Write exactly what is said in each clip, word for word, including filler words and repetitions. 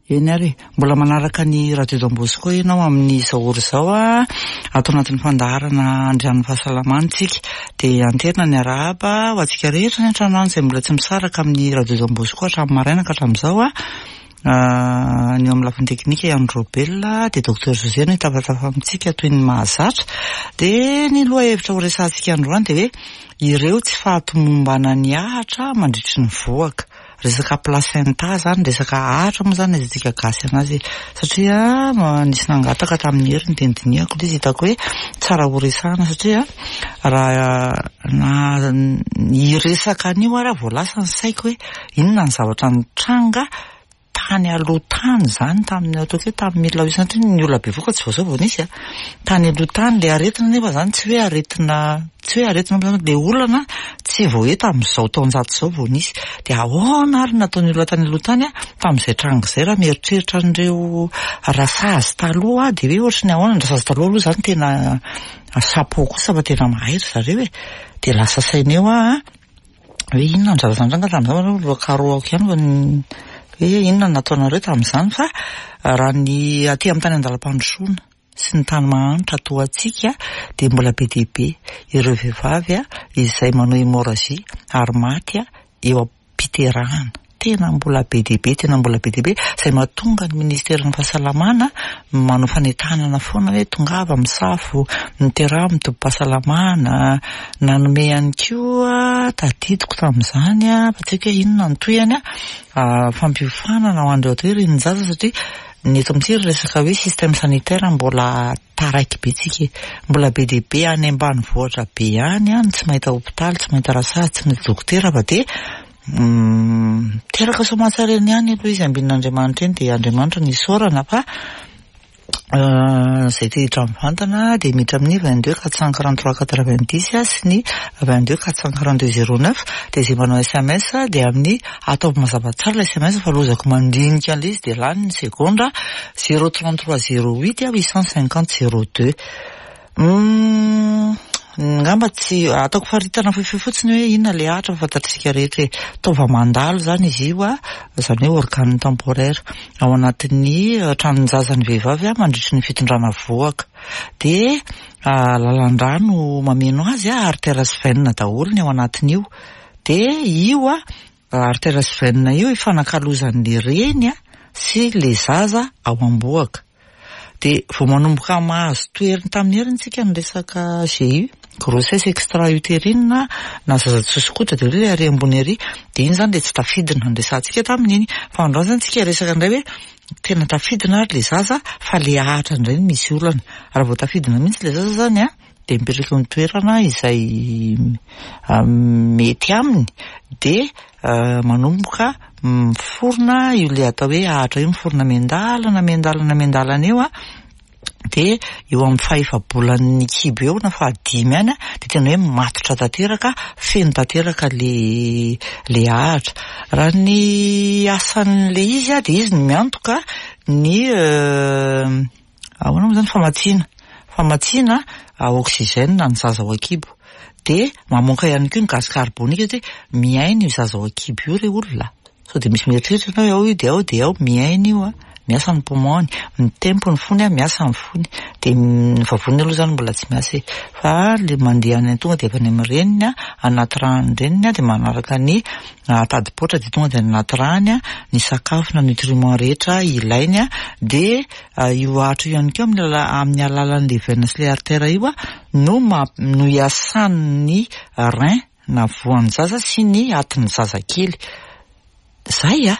Eny ary e, mbola manaraka ny Radio Don Bosco ianao amin'izao ora izao a, ato anatin'ny fandaharana Andrian'ny Fahasalamana isika. Dia anterina ny arahaba ho antsika rehetra ny an-trano any izay mbola tsy misaraka amin'ny Radio Don Bosco hatramin'ny maraina ka hatramin'izao a. Ny eo amin'ny lafiny teknika i Andro Robelina, dia Docteur José no hitafatafa amintsika toy ny mahazatra. Dia ny lohahevitra ho resahantsika androany dia hoe ireo tsy fahatomombanan'ny ahitra mandritry ny vohoka. Resaka placenta zany, resaka ahitra moa zany azatsika gasy anazy, satria nisy nangataka tamin'ny heriny dia nodinihako ilay izy, hitako hoe tsara ho resahana satria raha na hiresaka an'io ary aho vao lasa ny saiko hoe inona ny zavatra nitranga tany aloha tany zany, tamin'ny ataoko hoe tamin'ny mille huit cent, ny olona bevoka tsy vao zao vao nisy a, tany aloha tany le aretina nefa zany tsy hoe aretina, tsy hoe aretina le olana tsy vao hoe tamin'izao taonjato izao vao nisy. Dia ahoana ary nataon'ny olona tany aloha tany a tamin'izay tranga izay? Raha mieritreritra an'ireo rasazy taloha dia hoe ohatry ny ahoana ny rasazy taloha aloha zany, tena chapeau kosa fa tena mahay ry zareo e. Dia lasa saina eo aho hoe inona ny zavatra nitranga tamin'izany, aloha karohako ihany fa hoe inona no nataonareo tamin'izany. Fa raha ny aty amin'ny tany an-dalam-pandrosoana sy ny tany mahantra toa antsika dia mbola be dia be ireo vehivavy izay manao hémorragie ary maty eo am-piterahana. Tena mbola be dia be, tena mbola be dia be, izay mahatonga ny ministeran'ny fahasalamana manao fanentanana foana hoe tongava misafo, miteraha amin'ny tobim-pahasalamana. Nanome ihany koa, tadidiko tamin'izany, fa tsy haiko hoe inona ny tohiny, fampiofanana ho an'ireo atao hoe renin-jaza, satria ny eto amintsika resaka hoe système sanitaire mbola taraiky be tsika, mbola be dia be any ambanivohitra be any any tsy mahita hopitaly, tsy mahita rasazy, tsy mahita dokotera, fa dia miteraka soamantsara eny ihany aloha izy, ambin'Andriamanitra eny, dia Andriamanitra no isaorana. Fa izay te hiditra mivantana dia miditra amin'ny vingt-deux quatre cent quarante-trois quatre-vingt-dix sy ny vingt-deux quatre cent quarante-deux zéro neuf. Dia izay manao S M S dia amin'ny ataovy mazava tsara ilay S M S fa lozako mandinika an'ilay izy dia lany ny segondra, zéro trente-trois zéro huit huit cent cinquante zéro deux. Ngamba tsy ataoko faritana fohifohy fotsiny hoe inona le ahitra, fa fantatr'isika rehetra hoe taova mandalo zany izy io a, zany hoe organe temporaire ao anatin'ny tranon-jazan'ny vehivavy a mandritry ny fitondrana vohoka. Dia lalan-drano mameno azy a, artère sy veine daholo ny ao anatin'io. Dia io a artère sy veine io ifanakalozan'le reny a sy le zaza ao am-bohoka. Dia vao manomboka mahazo toeriny tamin'ny heriny tsika ny resaka G E U, grossesse extra-utérine na zaza tsy sosokotra, dia hoe ary ambony ary, dia iny zany le tsy tafidina ny resahantsika tamin'iny. Fa androany zany tsika resaka indray hoe tena tafidina ary le zaza, fa le ahitra indray no misy olana. Raha vao tafidina mihitsy le zaza zany a, dia mipetraka eo amin'ny toerana izay mety aminy, dia manomboka miforona io le atao hoe ahitra io, miforona miandalana miandalana miandalana eo a. Dia eo amin'ny fahefa-bolan'ny kibo eo na fahadimy any a, dia tena hoe matotra tanteraka, feno tanteraka le le ahitra. Raha ny asan'le izy a, dia izy no miantoka ny ahoana moa zany, famatsiana famatsiana oxygène ny zaza ao an-kibo, dia mamoaka ihany koa ny gaz carbonique, satria miaina io zaza ao an-kibo io re olona. Sao dia misy mieritreritra ianao hoe ao io dia ao dia ao miaina io a, miasa ny poumon-ny, mitempo ny fony a, miasa ny fony, dia ny vavoniny aloha zany mbola tsy miasa e, fa le mandeha any tonga dia avy any amin'ny reniny a, anaty ràn'ny reniny a, dia manaraka ny tadipoatra, dia tonga dia any anaty ràny a ny sakafo na nutriment rehetra ilainy a. Dia io ahitra io ihany koa amin'ny ala amin'ny alalan'le veine sy le artère io a no ma no iasan'ny rein na voan'ny zaza sy ny atin'ny zazakely. Zay a,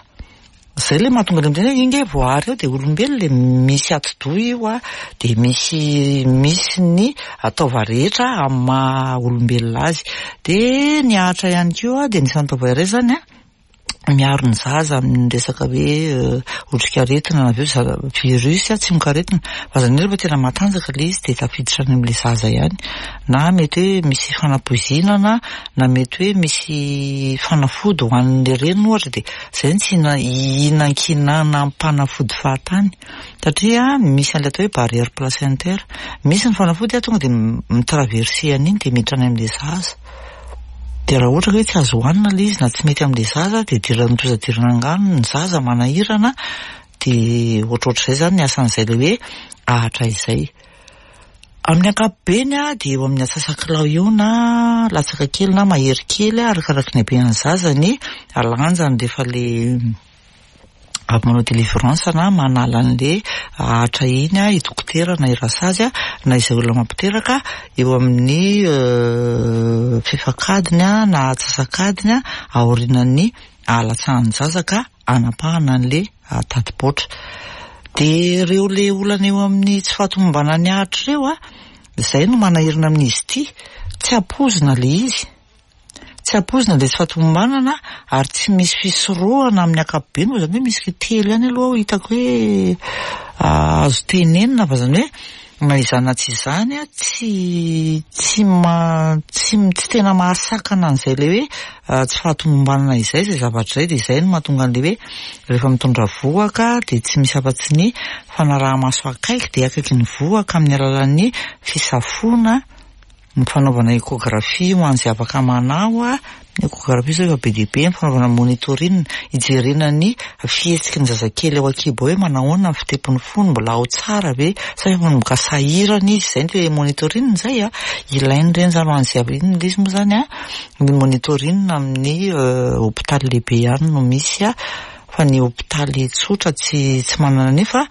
zay le mahatonga le miteny hoe io nge voahary eo dia olombelona le misy atidoha io a, dia misy misy ny taova rehetra amin'ny maha olombelona azy. Dia ny ahitra ihany koa dia anisan'ny taova iray zany a miaro ny zaza amin'ny resaka hoe otrikaretina na avy eo virus, tsimokaretina, fa zany hoe rehefa tena matanjaka le izy dia tafiditra any amin'le zaza ihany, na mety hoe misy fanapoizinana na mety hoe misy fanafody ho an'le reny ohatra, dia zay no tsy hihinankinana am-panafody fahatany, satria misy an'ilay atao hoe barrière placentaire, misy ny fanafody a tonga dia mi-traverser an'iny dia miditra any amin'le zaza. Dia raha ohatra ka hoe tsy azo hohanina ilay izy na tsy mety amin'le zaza, dia idiran'ny tozadirana angano ny zaza, manahirana. Dia ohatrohatr'izay izany ny asan'izay ilay hoe ahitra izay. Amin'ny ankapobeny dia eo amin'ny antsasakilao eo na latsaka kely na mahery kely arakaraky ny haben'ny zaza ny lanjany rehefa ilay avy manao délivrance na manala an'ilay ahitra iny i dokotera na i rasazy na izay olona mampiteraka, eo amin'ny fefak'adiny na antsasak'adiny aorianan'ny ahalatsahan'ny zaza ka hanapahana an'ilay tati-poatra. Dia ireo ilay olana eo amin'ny tsy fahatomombanan'ny ahitra ireo, izay no manahirana amin'izy ity, tsy ampoizina ilay izy. Tsy ampoizina ilay tsy fahatomombanana ary tsy misy fisorohana amin'ny ankapobeny moa izany hoe misy telo ihany aloha hitako hoe azo tenenina fa izany hoe na izany na tsy izany tsy tsy ma tsy tsy tena mahasakana an'izay ilay hoe tsy fahatomombanana izay izay zavatra izay. Dia izay no mahatonga an'ilay hoe rehefa mitondra vohoka dia tsy misy afa-tsy ny fanaraha-maso akaiky dia akaiky ny vohoka amin'ny alalan'ny fisafoana, ny fanaovana échographie ho an'izay afaka manao. Ny échographie izao efa be dia be, ny fanaovana monitoring hijerena ny fihetsiky ny zazakely ao an-kibo hoe manahoana ny fitepon'ny fony, mbola ao tsara ve sa efa manomboka sahirana izy. Izay ny hoe monitoring izay a, ilaina ireny izany ho an'izay avy iny izy moa izany a, ny monitoring amin'ny hôpitaly lehibe ihany no misy a, fa ny hôpitaly tsotra tsy tsy manana nefa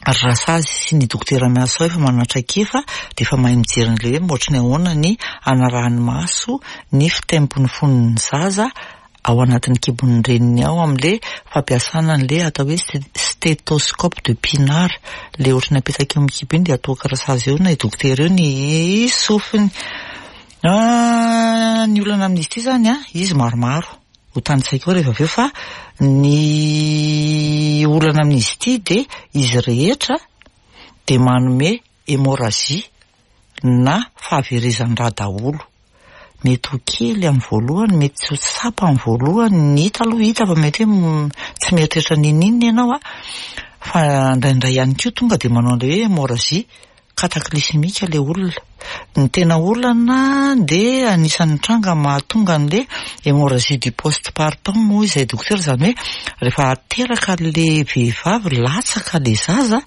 rasazy sy ny dokotera miasa ao efa manana traikefa dia efa mahay mijery an'ilay hoe ohatry ny ahoana ny hanarahany maso ny fitempon'ny fon'ny zaza ao anatin'ny kibon'ny reniny ao amin'ilay fampiasana an'ilay atao hoe stéthoscope de Pinard, ilay ohatry ny apetaka eo amin'ny kibo iny dia atoaka rasazy eo na i dokotera eo ny sofiny. Ny olana amin'izy ity izany a, izy maromaro ho tanisaiko eo rehefa avy eo, fa ny olana amin'izy ity dia izy rehetra dia manome hémorragie na fahaverezan-drà daholo. Mety ho kely amin'ny voalohany, mety tsy ho tsapa amin'ny voalohany, ny hita aloha hita fa mety hoe tsy mieritreritra n'inon'inona ianao a, fa indraindray ihany koa tonga dia manao an'ilay hoe hémorragie cataclysmique ilay olona. Ny tena olana dia anisan'ny tranga mahatonga an'ilay hémorragie du postpartum moa izay dokotera, izany hoe rehefa teraka ilay vehivavy latsaka ilay zaza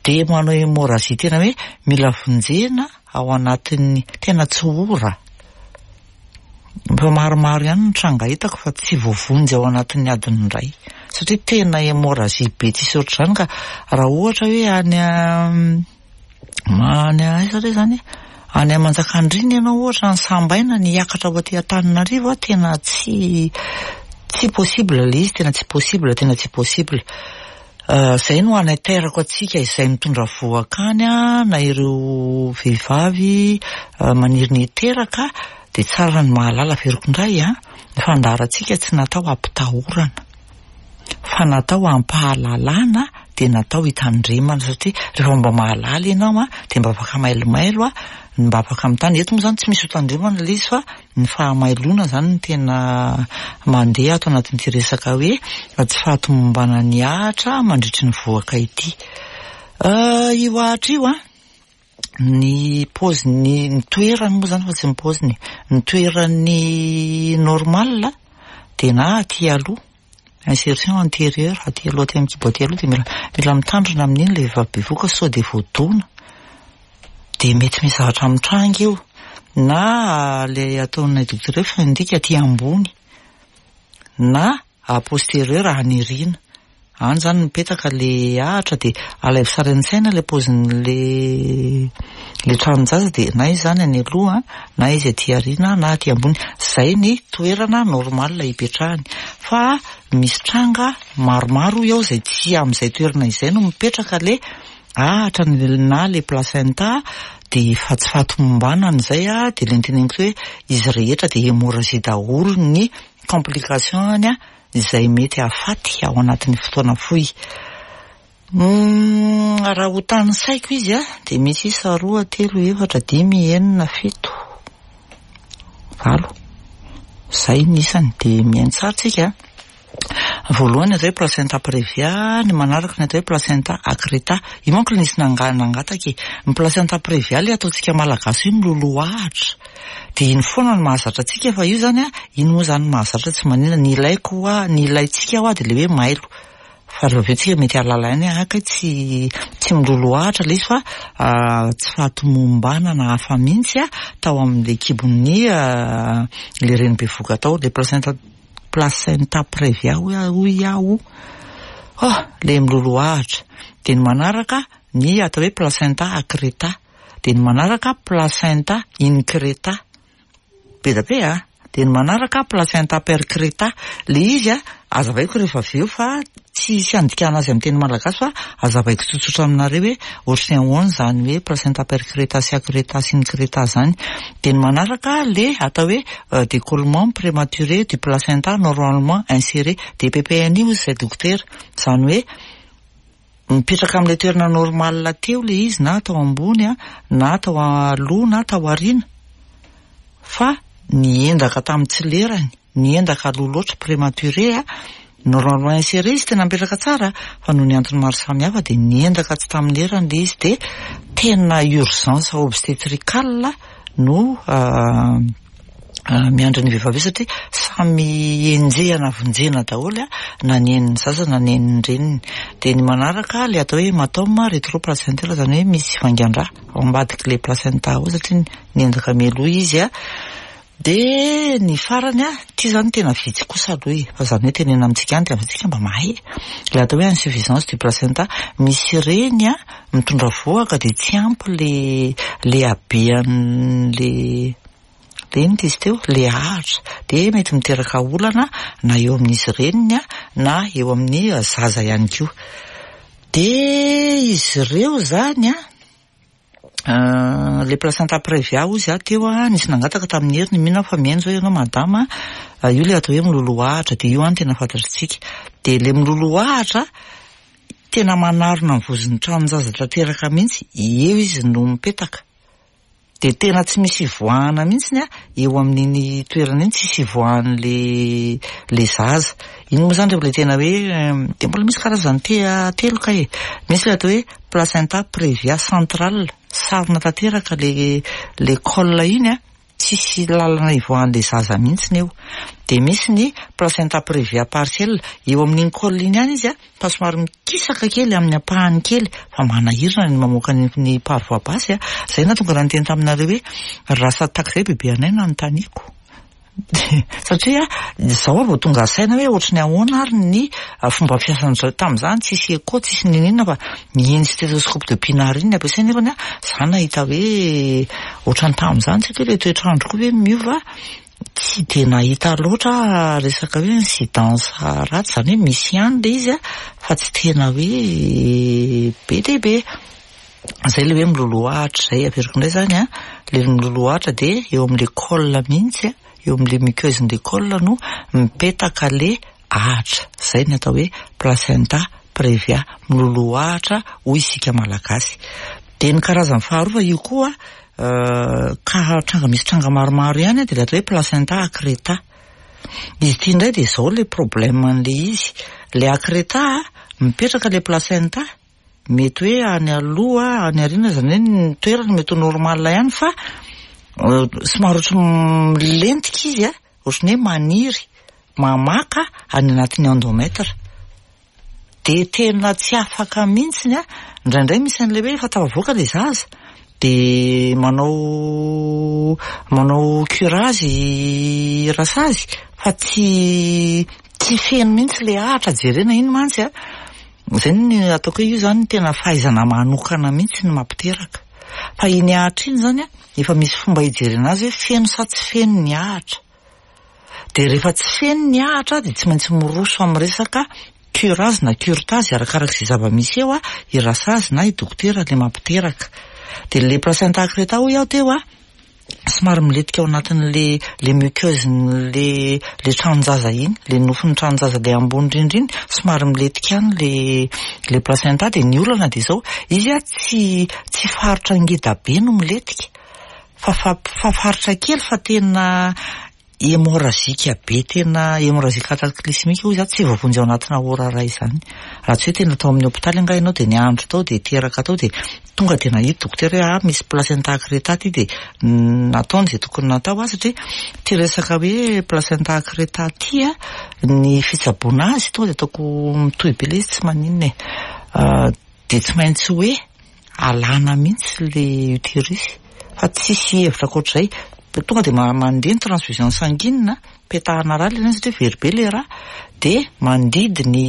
dia manao hémorragie tena hoe mila vonjena ao anatin'ny tena tsy ora. Efa maromaro ihany ny tranga hitako fa tsy voavonjy ao anatin'ny adiny iray satria tena hémorragie be tsisy ohatr'izany. Ka raha ohatra hoe any any aiza re zany, any Manjakandriana ianao ohatra ny Sambaina ny hiakatra ho aty Antananarivo, tena tsy tsy possible ilay izy, tena tsy possible, tena tsy possible. Izay no anaiterako antsika izay mitondra vohoka any na ireo vehivavy maniry ny hiteraka, dia tsara ny mahalala. Averiko indray a, ny fandaharantsika tsy natao hampitahorana fa natao hampahalalana, dia natao hitandremana, satria rehefa mba mahalala ianao a dia mba afaka mailomailo a, mba afaka mitany. Eto moa izany tsy misy hotandremana ilay izy fa ny fahamailoana izany no tena mandeha ato anatin'ity resaka hoe tsy fahatomombanan'ny ahitra mandritry ny vohoka ity. Io ahitra io a, ny paoziny, ny toerany moa izany fa tsy ny paoziny, ny toerany normal dia na aty aloha, insertion antérieure, aty aloha aty amin'ny kibo aty aloha, dia mila mila mitandrina amin'iny ilay vehivavy bevohoka sao dia voadona dia mety misy zavatra mitranga eo, na ilay ataonay dokotera hoe fundique aty ambony na postérieur any aoriana. Any izany mipetaka ilay ahitra dia alaivo sary an-tsaina ilay paozin'ilay ilay tranon-jaza, dia na izy izany any aloha na izy aty aoriana na aty ambony. Izay ny toerana normal hipetrahany, fa misy tranga maromaro eo izay tsy amin'izay toerana izay no mipetraka ilay ahitra na ilay placenta, dia efa tsy fahatomombanana izay a, dia ilay noteneniko hoe izy rehetra dia hémorragie daholo ny complication any a, izay mety hahafaty ao anatin'ny fotoana fohy. Raha ho tanisaiko izy a, dia misy isa roa, telo, efatra, dimy, enina, fito, valo. Izay ny isany, dia mihaino tsara tsika. Voalohany atao hoe placenta prévia, ny manaraka ny atao hoe placenta accreta. Io manko nisy nangataka e. Ny placenta prévia ilay ataontsika malagasy io miloloha ahitra. Dia iny foana no mahazatra antsika, fa io zany a, iny moa zany mahazatra tsy maninona. Ny ilaiko hoa, ny ilaintsika hoa dia ilay hoe mailo. Fa rehefa avy eo tsika mety hahalala ihany hoe ah kay tsy tsy miloloahatra ilay izy fa tsy fahatomombanana hafa mihitsy a tao amin'ilay kibon'ny ilay reny bevohoka tao, ilay placenta placenta prévia hoy aho. Oh, ilay miloloahatra. Dia ny manaraka ny atao hoe placenta accreta. Dia ny manaraka placenta increta. Be dia be a. Dia ny manaraka placenta percreta. Ilay izy a, azavaiko rehefa avy eo fa tsy hisy handikana azy amin'ny teny malagasy fa azavaiko tsotsotra aminareo hoe ohatry ny ahoana izany hoe placenta percreta sy accreta sy increta izany. Dia ny manaraka le atao hoe décollement prématuré du placenta normalement inséré. D P P N I hoy izay dokotera. Izany hoe mipetraka amin'ilay toerana normal teo ilay izy, na tao ambony a, na tao aloha na tao aoriana, fa niendaka tamin'ny tsy lerany, niendaka aloha loatra, prématuré a, normalement inséré izy tena mipetraka tsara, fa noho ny antony maro samihafa dia niendaka tsy tamin'ny lerany ilay izy, dia tena urgence obstétricale no miandry ny vehivavy io, satria samy enjehana vonjena daholo a, na ny enin'ny zaza na ny enin'ny reniny. Dia ny manaraka ilay atao hoe hématome rétroplacentaire, izany hoe misy vangan-drà ao ambadik'ilay placenta ao satria niendaka mialoha izy a. Dia ny farany a, ity izany tena vitsy kosa aloha e, fa izany hoe tenena amintsika any dia amintsika mba mahay. Ilay atao hoe insuffisance du placenta, misy reny a mitondra vohoka dia tsy ampy le le habean'le le inona izy teo, le ahitra, dia mety miteraka olana na eo amin'izy reniny a, na eo amin'ny zaza ihany koa. Dia izy ireo izany a, le placenta prévia hoy izy teo a, nisy nangataka tamin'ny heriny, mino aho fa mihaino izao ianao madama, io le atao hoe miloloahatra, dia io any tena fantatritsika. Dia le miloloahatra tena manarona ny vozon'ny tranon-jaza tanteraka mihitsy, eo izy no mipetaka. Dia tena tsy misy ivoahana mihitsy a eo amin'iny toerana iny, tsisy ivoahan'le le zaza. Iny moa izany rehefa ilay tena hoe dia mbola misy karazany telo ka e. Misy ilay atao hoe placenta prévia centrale, sarona tanteraka le le col iny a, tsisy lalana ivoahan'le zaza mihitsy eo. Dia misy ny placenta prévia partielle, eo amin'iny col iny ihany izy a, fa somary mikisaka kely amin'ny ampahany kely, fa manahirana ny mamoaka ny, ny par voie basse a. Izay nahatonga raha niteny taminareo hoe raha sady tahaka izay bebe anay nanontaniako. Satria izao aho vao tonga saina hoe ohatry ny ahoana ary ny fomba fiasan'izao tamin'izany, tsisy écho, tsisy n'inon'inona, fa ny stéthoscope de Pinard iny ny ampiasaina, nefany a za nahita hoe ohatran'ny tamin'izany, tsy haiko hoe ilay toetr'andro koa hoe miova, tsy dia nahita loatra resaka hoe incidence ratsy, izany hoe misy ihany ilay izy a, fa tsy tena hoe be dia be. Izay ilay hoe miloloahatra izay, averiko indray izany a, ilay miloloahatra dia eo amin'ilay col mihitsy a, eo amin'ilay muqueuse-n'ilay col no mipetaka le ahitra. Izay ny atao hoe placenta prévia, miloloahatra hoy isika malagasy. Dia ny karazany faharoa fa io koa ka tranga misy tranga maromaro ihany dia ilay atao hoe placenta accreta. Izy ity indray dia izao ilay problème an'ilay izy. Ilay accreta mipetraka ilay placenta, mety hoe any aloha, any aoriana, izany hoe ny toerana mety ho normal ihany, fa somary ohatry milentika izy a, ohatry ny hoe maniry, mamaka any anatin'ny endomètre. Dia tena tsy afaka mihitsy a, indraindray misy an'ilay hoe efa tafavoaka ilay zaza, dia manao manao curage rasazy, fa tsy tsy feno mihitsy ilay ahitra jerena iny mantsy a. Izay ny ataoko hoe io izany tena fahaizana manokana mihitsy ny mampiteraka. Fa iny ahitra iny izany a, efa misy fomba hijerena azy hoe feno sa tsy feno ny ahitra. Dia rehefa tsy feno ny ahitra dia tsy maintsy miroso amin'ny resaka curage na curetage, arakaraka izay zava-misy eo a, i rasazy na i dokotera ilay mampiteraka. Dia ilay placenta accreta hoy aho teo a, somary milentika ao anatin'le le muqueuse-n'le le tranon-jaza iny, le nofon'ny tranon-jaza le ambony indrindra iny, somary milentika any le le placenta. Dia ny olana dia izao, izy a tsy tsy faritra ngeda be no milentika, fa fa fa faritra kely, fa tena hémorragique be, tena hémorragie cataclysmique hoy za, tsy voavonjy ao anatina ora ray izany. Raha tsy hoe tena tao amin'ny hôpitaly angaha ianao dia niandry tao dia teraka tao, dia tonga dia nahita dokotera hoe ah, misy placenta accreta ty, dia nataony izay tokony natao a, satria ty resaka hoe placenta accreta ty a, ny fitsaboana azy tonga dia ataoko mitohy be ilay izy, tsy maninona e. Dia tsy maintsy hoe alana mihitsy le utérus fa tsisy hevitra ankoatr'izay. Tonga dia mandeha ny transfusion sanguine, petahana rà ilay satria very be le rà, dia mandidy ny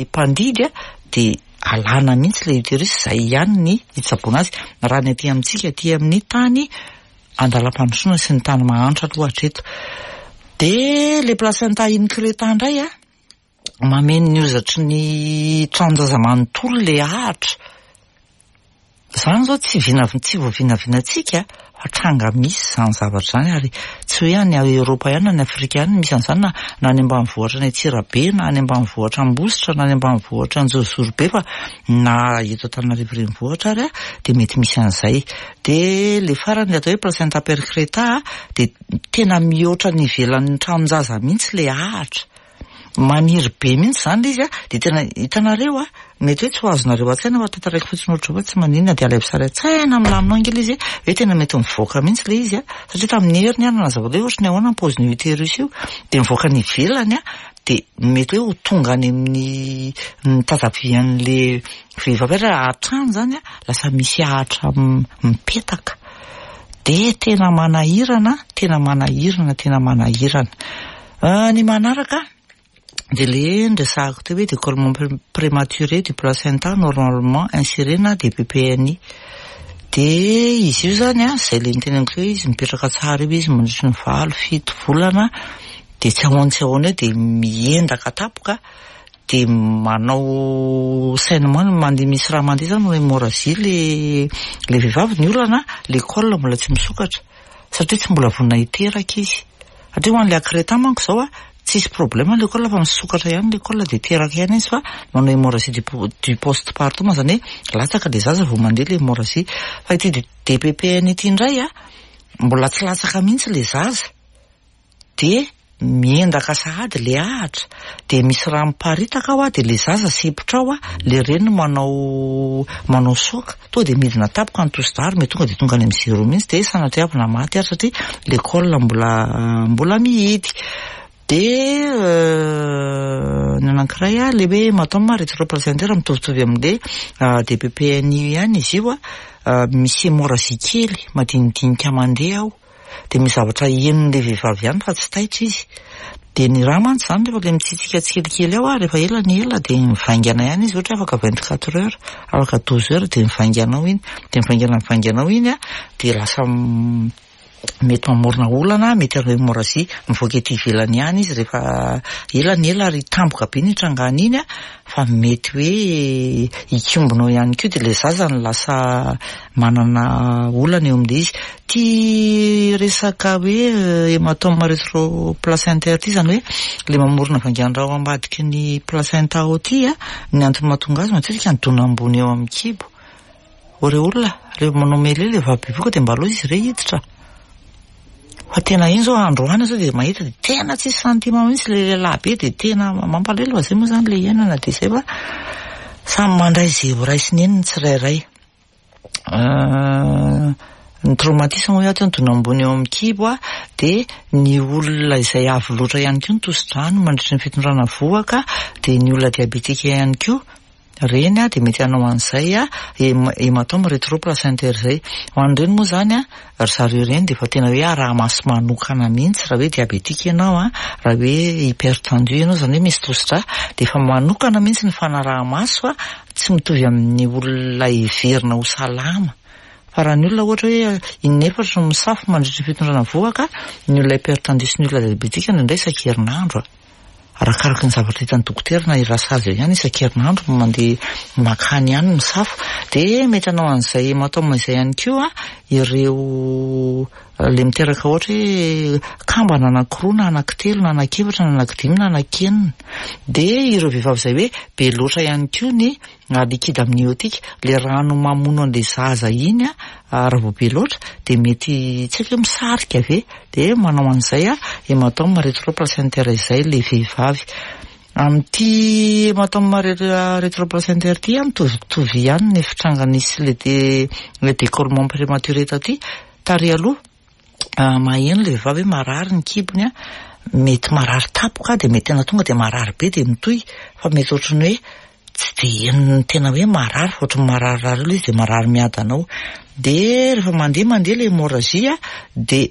mpandidy a, dia alana mihitsy le utérus, izay ihany ny hitsaboana azy. Raha ny aty amintsika, aty amin'ny tany andalam-pandrosoana sy ny tany mahantra aloha hatreto. Dia le placenta increta indray a, mameno ny hozatry ny tranon-jaza manontolo le ahitra. Izany zao tsy vina, tsy voavinavinantsika fa tranga misy izany zavatra izany, ary tsy hoe any Eoropa ihany na any Afrika ihany misy an'izany, na na any ambanivohitra any Antsirabe, na any ambanivohitra Ambositra, na any ambanivohitra Anjozorobe, fa na eto Antananarivo renivohitra ary a dia mety misy an'izay. Dia le farany atao hoe placenta percreta dia tena mihoatra ny ivelan'ny tranon-jaza mihitsy le ahitra. Maniry be mihitsy izany ilay izy a, dia tena hitanareo a, mety hoe tsy ho azonareo an-tsaina fa tantaraiko fotsiny ohatr'izao fa tsy maninona, dia alaivo sary an-tsaina milamina ao ange ilay izy hoe tena mety mivoaka mihitsy ilay izy a, satria tamin'ny heriny aho nanazava hoe ohatry ny ahoana ny paozin'io utérus io, dia mivoaka ny ivelany a, dia mety hoe ho tonga any amin'ny ny tatavian'le vehivavy ary hatrany izany a, lasa misy ahitra mipetaka. Dia tena manahirana, tena manahirana, tena manahirana. Ny manaraka dia le nresahako teo hoe décollement prématuré du placenta normalement inséré na D P P N I. Dia izy io zany a, izay le niteneniko hoe izy mipetraka tsara io izy mandritry ny valo, fito volana, dia tsy ahoana tsy ahoana eo dia miendaka tampoka, dia manao saignement, mandeha misy raha mandeha zany hémorragie le le vehivavy. Ny olana le col mbola tsy misokatra satria tsy mbola vonona hiteraka izy. Satria ho an'le accreta manko zao a, tsisy problème le col fa misokatra ihany le col dia teraka ihany izy, fa manao hémorragie du, du postpartum, zany hoe latsaka le zaza vao mandeha le hémorragie. Fa ity D P P N ity indray a, mbola tsy latsaka mihitsy le zaza, dia miendaka sahady le ahitra, dia misy raha miparitaka ao a, dia le zaza sepotra ao a, le reniny manao manao soka, tonga dia midina tampoka ny tosi-drà, mety tonga dia tonga any amin'ny zéro mihitsy, dia sanatria avy na maty ary satria le col mbola mbola mihidy. Dia ny anankiray a, le hoe hématome rétroplacentaire mitovitovy amin'le D P P N I ihany izy io a, misy hémorragie kely madinidinika mandeha ao, dia misy zavatra henon'le vehivavy ihany fa tsy taitra izy. Dia ny rà mantsy izany rehefa le mitsitsika tsikelikely ao a, rehefa ela ny ela dia mivaingana ihany izy, ohatra hoe afaka vingt-quatre heures, afaka douze heures dia mivaingana ao iny, dia mivaingana mivaingana ao iny a, dia lasa mety mamorona olana, mety hanao hémorragie mivoaka ety ivelany ihany izy rehefa ela ny ela, ary tampoka be ny hitrangana iny a, fa mety hoe hikombona ao ihany koa, dia le zaza no lasa manana olana eo amin'ilay izy. Ty resaka hoe hématome rétroplacentaire ty, zany hoe le mamorona vaingan-drà ao ambadiky ny placenta ao ty a, ny antony mahatonga azy matetika ny dona ambony eo amin'ny kibo. Ore olona rehefa manao mêlée le vavy bevoka dia mba aleo izy re hiditra. Fa tena iny zao androany zao dia mahita dia tena tsisy sentiment mihitsy le lehilahy be, dia tena mampalahelo fa zay moa zany le iainana, dia zay fa samy mandray izay ho raisiny eny ny tsirairay. Ny traumatisme hoy aho teo, ny dona ambony eo amin'ny kibo a, dia ny olona izay avo loatra ihany koa ny tosi-drano mandritry ny fitondrana vohoka, dia ny olona diabetika ihany koa reny a, dia mety hanao an'izay a, hématome rétroplacentaire zay. Ho an'ireny moa zany a, ry zareo ireny dia efa tena hoe araha-maso manokana mihitsy raha hoe diabetika ianao a, raha hoe hypertendu ianao, zany hoe misy tosi-drà, dia efa manokana mihitsy ny fanaraha-maso a, tsy mitovy amin'ny olona heverina ho salama. Fa raha ny olona ohatra hoe inefatra no misafo mandritry ny fitondrana vohoka, ny olona hypertendu sy ny olona diabetika indraindray isan-kerinandro a. Arakaraka ny zavatra hitan'ny dokotera na irasazy eo ihany isan-kerinandro no mandeha makany ihany misafo. Dia mety hanao an'izay hématome izay ihany koa ireo Le miteraka ohatra hoe kambana anankiroa na anankitelo na anankiefatra na anankidimy na anankenina. Dia ireo vehivavy izay hoe be loatra ihany koa ny liquide amniotique, le rano mamono an'le zaza iny a, raha vao be loatra dia mety tsy haiko hoe misarika ve, dia manao an'izay a hématome rétroplacentaire izay le vehivavy. Amin'ity hématome rétroplacentaire ity a, mitovitovy ihany ny fitranganisy le dé le décollement prématuré taty. Tary aloha maheno le vehivavy hoe marary ny kibony a, mety marary tampoka dia mety tena tonga dia marary be dia mitohy, fa mety ohatran'ny hoe tsy de henony tena hoe marary fa ohatran'ny mararirary aloha izy dia marary miadana ao. Dia rehefa mandeha mandeha le hémorragie a, dia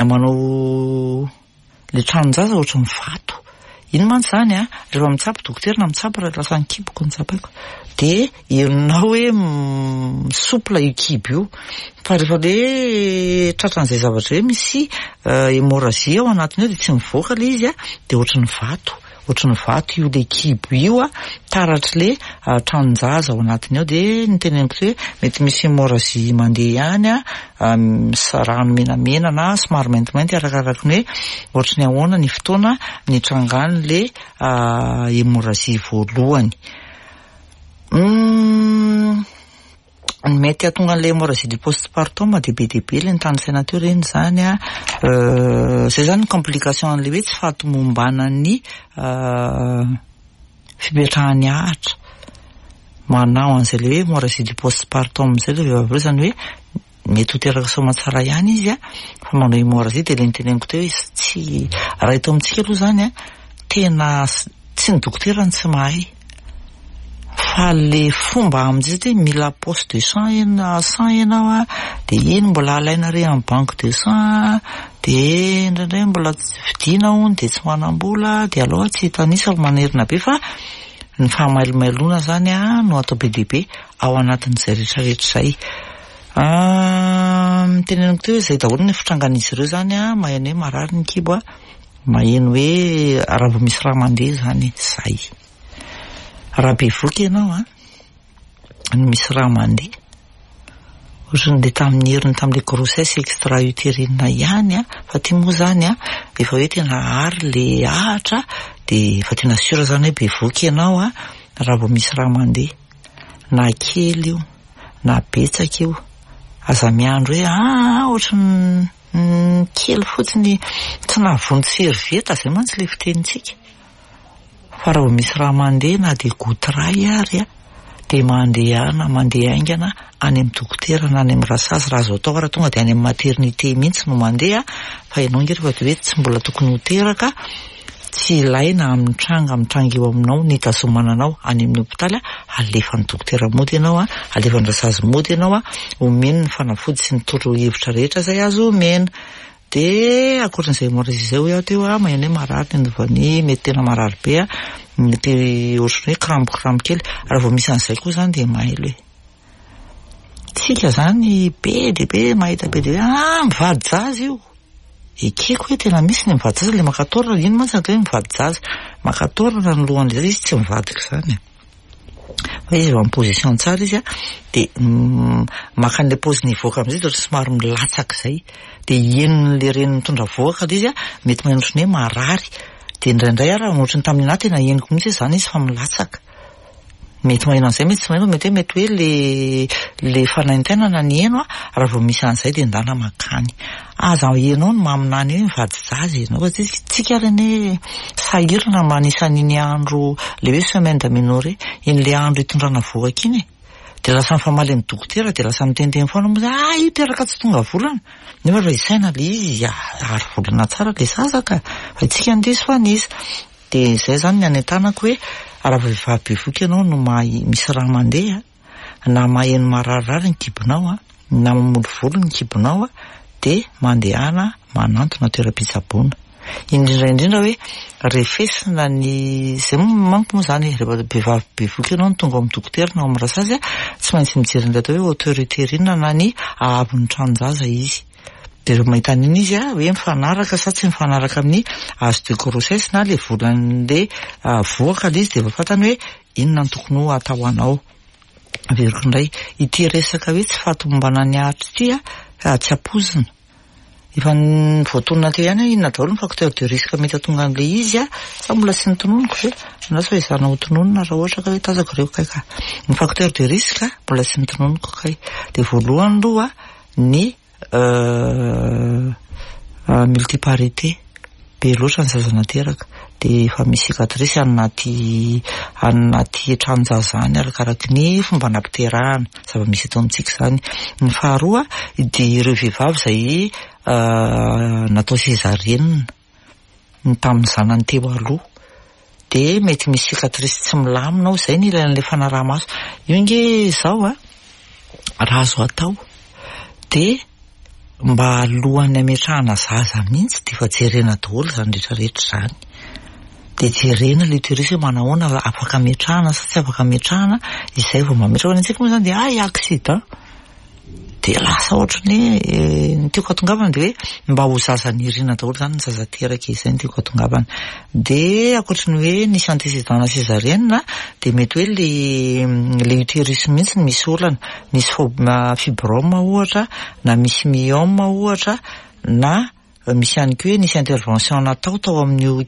manao le tranon-jaza ohatran'ny vato. Iny mantsy zany a, rehefa mitsabo dokotera na mitsabo raha lasa ny kiboko no tsapaiko, dia henonao hoe souple io kibo io, fa rehefa le tratran'izay zavatra hoe misy hémorragie ao anatiny ao dia tsy mivoaka le izy a, dia ohatran'ny vato, ohatran'ny vato io le kibo io a, taratry le tranon-jaza ao anatiny ao. Dia niteneniko hoe mety misy hémorragie mandeha ihany a, misy rano menamena na somary maintimainty arakaraky ny hoe ohatran'ny ahoana ny fotoana nitrangan'le hémorragie voalohany. Ny mety hahatonga an'ilay hémorragie du postpartum dia be dia be le nitanisaina teo ireny zany a, zay zany ny complication an'ilay hoe tsy fahatomombanan'ny fipetrahan'ny ahitra. Manao an'izay le hoe hémorragie du postpartum zay le vehivavy ireo, zany hoe mety ho teraka soamantsara ihany izy a, fa manao hémorragie. Dia le niteneniko teo hoe tsy raha eto amintsika aloha zany a, tena tsy ny dokotera no tsy mahay, fa le fomba amin'izay satria mila poche de sang ianao, sang ianao a, dia iny mbola alaina re amin'ny banque de sang, dia indraindray mbola vidiana hono dia tsy manam-bola, dia aleo tsy hitanisa fa manerina be, fa ny fahamailomailona zany a no atao be dia be ao anatin'izay rehetrarehetra izay. Niteneniko teo hoe izay daholo ny fitrangan'izy ireo zany a, maheno hoe marary ny kibo a, maheno hoe raha vao misy raha mandeha zany zay. Raha bevoka ianao a, no misy raha mandeha, ohatran'le tamin'ny heriny tamin'le grossesse extra-utérine ihany a, fa ty moa zany a efa hoe tena ary le ahitra, dia efa tena sûr zany hoe bevoka ianao a, raha vao misy raha mandeha, na kely io na betsaka io, aza miandro hoe ah ohatran'ny kely fotsiny tsy nahavonjy servieta, zay mantsy le fitenintsika. Fa raha vao misy raha mandeha na dia goutte iray ary a, dia mandehana mandeha haingana any amin'ny dokotera na any amin'ny rasazy, raha azo atao raha tonga dia any amin'ny maternité mihitsy no mandeha, fa ianao nge rehefa dia hoe tsy mbola tokony ho teraka, tsy ilaina amin'ny tranga mitranga eo aminao ny hitazomana anao any amin'ny hôpitaly a, alefan'ny dokotera mody ianao a, alefan'ny rasazy mody ianao a, omeny ny fanafody sy ny torohevitra rehetra izay azo omena. Dia ankoatran'izay hémorragie izay hoy aho teo a, maheno hoe marary ny andovany, mety tena marary be a, mety ohatran'ny hoe krambo-krambo kely. Raha vao misy an'izay koa zany dia mailo e. Tsika zany be dia be mahita be dia hoe ah mivadi-jaza io. Ekeko hoe tena misy ny mivadi-jaza, le maka taorana, ino mantsy atao hoe mivadi-jaza? Maka taorana ny lohan'ilay zaza, izy tsy mivadika zany. Fa izy efa en position tsara izy a, dia maka an'ilay paoziny hivoaka amin'izay dia ohatran'ny somary milatsaka izay. Dia henon'ilay reny mitondra vohoka ilay izy a, mety maheno ohatran'ny hoe marary. Dia indraindray ary ohatran'ny tamin'ny anahy tena henoko mihitsy hoe zany izy fa milatsaka. Mety maheno an'izay, mety tsy maheno, mety hoe mety hoe le le fanaintainana ny heno a, raha vao misy an'izay dia ndana makany. Aza ianao no maminany hoe mivadi-jaza ianao, fa tsika ary anie sahirana manisa an'iny andro le hoe semaine d'aménorrhée, iny le andro hitondrana vohoka iny e. Dia lasa mifamaly amin'ny dokotera, dia lasa miteniteny foana moa zay, ah io teraka tsy tonga volana. Nefa raha isaina le izy, ary volana tsara le zaza ka, fa tsika no diso fanisa. Dia izay zany ny anentanako hoe raha vehivavy bevoka ianao no mahay misy raha mandeha, na maheno mararirary ny kibonao a, na mamolovolo ny kibonao a, dia mandehana manantona toeram-pitsaboana. Indrindra indrindra hoe refesina ny zay manko moa zany rehefa vehivavy bevoka ianao no tonga ao amin'ny dokotera na ao amin'ny rasazy a, tsy maintsy mijery ny atao hoe hauteur utérine na ny haavon'ny tranon-jaza izy. Dia rehefa mahita an'iny izy a, hoe mifanaraka sa tsy mifanaraka amin'ny âge de grossesse na le volan'le vohoka le izy, dia efa fantany hoe inona no tokony ho atao anao. Averiko indray, ity resaka hoe tsy fahatomombanan'ny ahitra ity a, tsy ampoizina. Efa voatonona teo ihany hoe inona daholo ny facteur de risque mety hahatonga an'ilay izy a, sa mbola tsy notononiko ve? Andraso fa ezahana ho tononina raha ohatra ka hoe tazako ireo kay ka. Ny facteur de risque mbola tsy notononiko kay. Dia voalohany aloha ny multiparité, be loatra ny zaza nateraka dia efa misy cicatrice any anaty any anaty tranon-jaza any arakaraky ny fomba nampiterahana, zava-misy eto amintsika izany. Ny faharoa dia ireo vehivavy izay natao césarienne ny tamin'ny zanany teo aloha dia mety misy cicatrice tsy milamina ao, izay no ilaina ilay fanaraha-maso. Io nge izao a, raha azo atao dia mba alohan'ny hametrahana zaza mihitsy dia efa jerena daholo izany rehetrarehetra izany. Dia jerena ilay utérus hoe manahoana, afaka ametrahana sa tsy afaka ametrahana, izay vao mametraka. Fa ny antsika moa izany dia hay accident. Dia lasa ohatran'ny hoe ny tiako hatongavana dia hoe mba ho zaza nirina daholo izany ny zaza teraka, izay no tiako hatongavana. Dia ankoatry ny hoe nisy antécédent césarienne dia mety hoe le le utérus mihitsy no misy olana, misy fibrome ohatra, na misy myome ohatra, na misy ihany koa hoe nisy intervention natao tao amin'io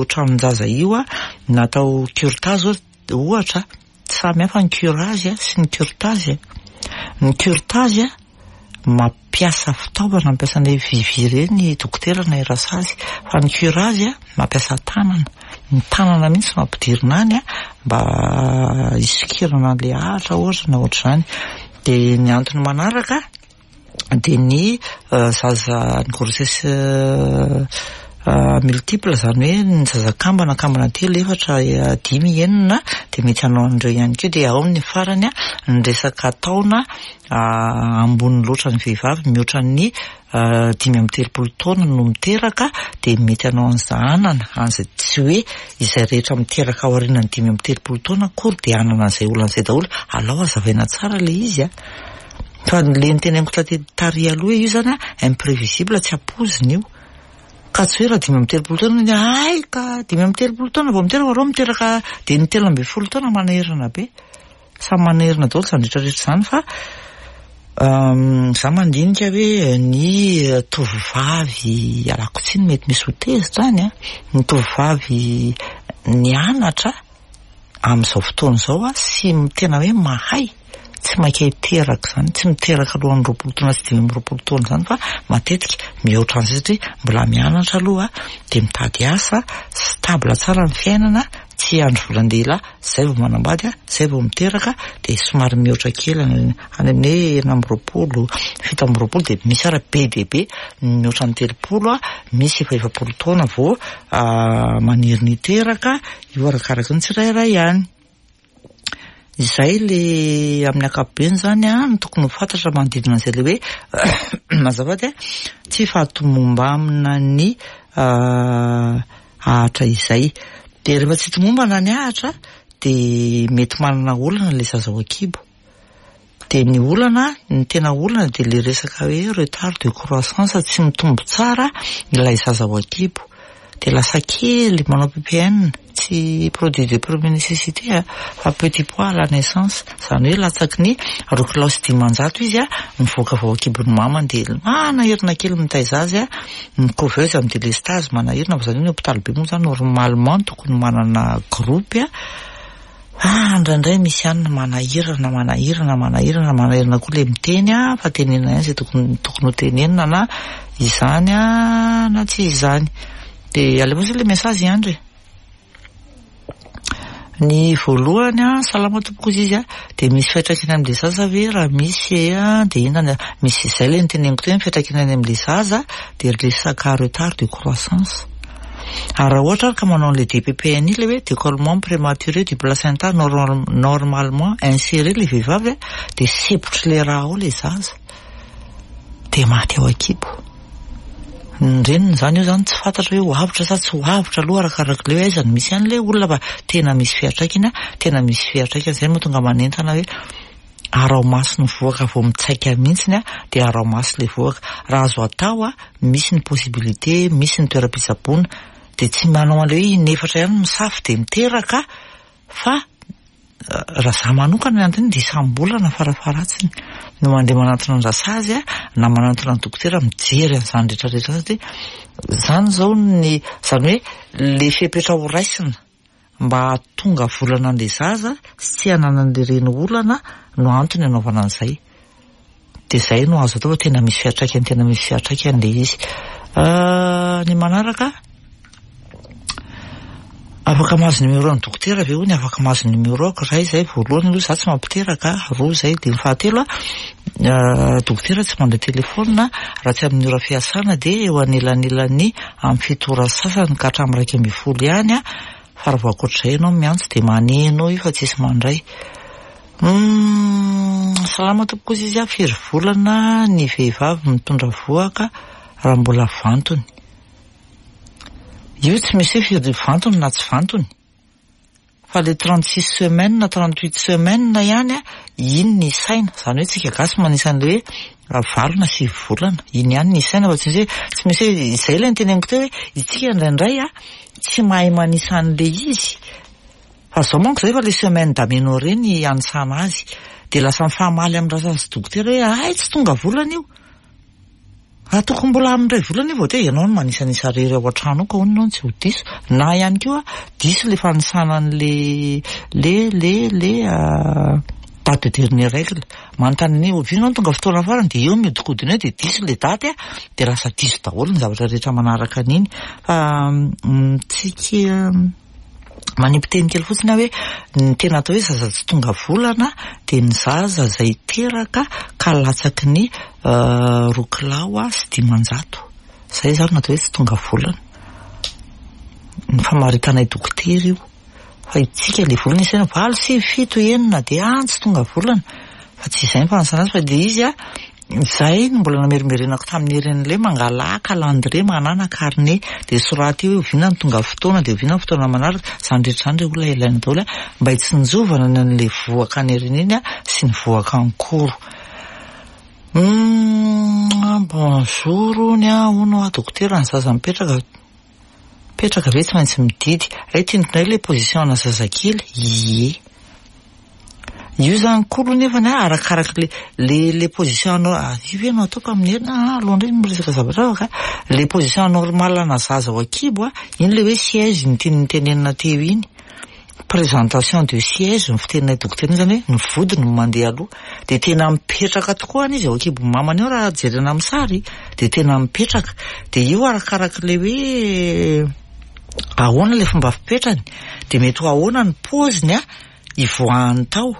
tranon-jaza io a, natao curetage ohatra. Samy hafa ny curage sy ny curetage. Ny curetage mampiasa fitaovana, mampiasa an'ilay vy ireny dokotera na rasazy, fa ny curage mampiasa tanana, ny tanana mihitsy no ampidirina any mba hisokirana an'ilay ahitra ohatra na ohatr'izany. Dia ny antony manaraka dia ny zaza, ny grossesse multiple, izany hoe ny zaza kambana, kambana telo, efatra, dimy, enina, dia mety hanao an'ireo ihany koa. Dia ao ny farany ny resaka taona ambony loatra ny vehivavy, mihoatra ny dimy amby telopolo taona no miteraka, dia mety hanao an'izay anana an'izay. Tsy hoe izay rehetra miteraka aorian'ny dimy amby telopolo taona akory dia hanana an'izay olana izay daholo. Alao hazavaina tsara ilay izy a. Fa le niteneniko taty tary aloha io zany a, imprévisible, tsy ampoizina io. Ka tsy hoe raha dimy amby telopolo taona ny ay ka dimy amby telopolo taona vao miteraka, reo miteraka dia ny telo ambin'ny folo taona manahirana be. Samy manahirana daholo izany rehetrarehetra izany, fa za mandinika hoe ny tovovavy, alako tsiny mety misy ho tezitra any a, ny tovovavy nianatra amin'izao fotoana izao a sy tena hoe mahay, tsy maika hiteraka izany, tsy miteraka alohan'ny roapolo taona sy dimy amby roapolo taona izany, fa matetika mihoatra an'izay satria mbola mianatra aloha dia mitady asa, stable tsara ny fiainana, tsy andro volan-dehilahy, izay vao manambady, izay vao miteraka, dia somary mihoatra kely any amin'ny hoe enina amby roapolo, fito amby roapolo, dia misy ara be dia be mihoatra ny telopolo, misy efa efapolo taona vao maniry ny hiteraka, io arakaraka ny tsirairay ihany. Izay le amin'ny ankapobeny zany a no tokony ho fantatra manodidina an'izay le hoe mazafady a tsy fahatomombamina ny ahitra izay. Dia rehefa tsy tomombana ny ahitra dia mety manana olana ilay zaza ao an-kibo. Dia ny olana, ny tena olana dia le resaka hoe retard de croissance, tsy mitombo tsara ilay zaza ao an-kibo. Dia lasa kely, manao P P N, tsy produit de première nécessité a, fa petit poids à la naissance, izany hoe latsaky ny roa kilao sy dimanjato izy a mivoaka avy ao an-kibon'ny mamany, dia manahirana kely mitaiza azy a, ny couveuse amin'ny délestage manahirana, fa izany hoe ny hôpitaly be moa zany normalement tokony manana groupe a. Ah, indraindray misy ihany manahirana, manahirana, manahirana, manahirana koa le miteny a, fa tenenina ihany izay tokony tokony ho tenenina, na izany a na tsy izany. Dia alefa le message ihany re. Ny voalohany a, salama tompoko izy izy a, dia misy fiantraikany amin'ilay zaza ve? Raha misy a, dia inona misy? Izay le niteneniko teo, ny fiantraikany any amin'ilay zaza dia resaka retard de croissance. Ary raha ohatra ary ka manao an'ilay D P P N le hoe décollement prématuré du placenta normalement inséré le vehivavy a, dia sepotry le raha ao le zaza, dia maty ao an-kibo ny reniny zany. Io zany tsy fantatra hoe ho avotra sa tsy ho avotra aloha, arakaraka le hoe aiza no misy an'le olona, fa tena misy fiantraikany, tena misy fiantraikany. Zay mahatonga manentana hoe arao maso ny vohoka vao mitsaika mihitsiny a, dia arao maso le vohoka raha azo atao a. Misy ny possibilité, misy ny toeram-pitsaboana, dia tsy manao an'le hoe inefatra ihany misafo dia miteraka, fa Raha za manokana ny antony dia isam-bolana farafaharatsiny no mandeha manantona ny rasazy a, na manantona ny dokotera mijery an'izany rehetrarehetra zany, satria zany zao ny zany hoe le fepetra ho raisina mba hahatonga volana an'le zaza sy tsy hananan'le reny olana no antony anaovana an'izay. Dia zay no azo atao fa tena misy fiantraikany, tena misy fiantraikany le izy. Ny manaraka, afaka mahazo numéro an'ny dokotera ve hono? Afaka mahazo numéro ako ray zay voalohany aloha, za tsy mampiteraka, roa zay, dia ny fahatelo a, dokotera tsy mandray telefona raha tsy amin'ny ora fiasana, dia eo anelanelan'ny amin'ny fito ora sasany ka hatramin'ny iraika ambin'ny folo ihany a, fa raha vao ankoatr'izay ianao miantso dia maneno io fa tsisy mandray. Salama tompoko izy izy a, firy volana ny vehivavy mitondra vohoka raha mbola vantony? Io tsy misy hoe firy vantony na tsy vantony, fa le trente-six semaines na trente-huit semaines ihany a, iny ny isaina, zany hoe tsika gasy manisan'le hoe valo na sivy volana, iny ihany ny isaina, fa tsy misy hoe tsy misy hoe izay ilay niteneniko teo hoe isika indraindray a tsy mahay manisa an'le izy, fa zao manko zay fa le semaine d'aménorrhée ny anisana azy, dia lasa mifamaly amin'ny rasazy dokotera hoe ay tsy tonga volana io, raha tokony mbola amin'ny iray volana io vao teo ianao no manisanisa rery ao an-trano ao ka hono ianao no tsy ho diso, na ihany koa diso le fanisana an'le le le le date de dernière règle, manontany hoe oviana no tonga fotoana farany dia eo miodikodina eo dia diso le daty a, dia lasa diso daholo ny zavatra rehetra manaraka an'iny. Fa tsika manipy teny kely fotsiny aho hoe ny tena atao hoe zaza tsy tonga volana dia ny zaza izay teraka ka latsaky ny roa kilao sy dimanjato, izay zany no atao hoe tsy tonga volana. Ny famaritanay dokotera io, fa itsika le volana isaina valo, sivy, fito, enina dia any tsy tonga volana, fa tsy izay ny fanisana azy, fa le izy a izay no mbola namerimberenako tamin'ny herin'ilay mangala calendrier manana carnet dia soraty eo hoe oviana no tonga fotoana dia oviana ny fotoana manaraka, izany rehetra izany re olona ilaina daholo a mba hitsinjovana ny an'ilay vohoka any aoriana iny a sy ny vohoka ankoro. Bonjour hono a, hono a dokotera, ny zaza mipetraka mipetraka ve tsy maintsy mididy? Ay tianiko indray ilay position ana zazakely, ie. Io zany koa aloha nefany a arakaraka le le le position anao, io ve no ataoko amin'ny heriny? Ah, aloha indray miresaka zavatra hafa ka. Le position normale ana zaza ao an-kibo a, iny le hoe siège ny tiany nitenenina teo iny. Présentation de siège ny fiteninay dokotera iny, zany hoe ny vodiny no mandeha aloha, dia tena mipetraka tokoa any izy ao an-kibon'ny mamany ao raha jerena amin'ny sary, dia tena mipetraka. Dia io arakaraka le hoe ahoana le fomba fipetrany, dia mety ho ahoana ny paoziny a ivoahany tao.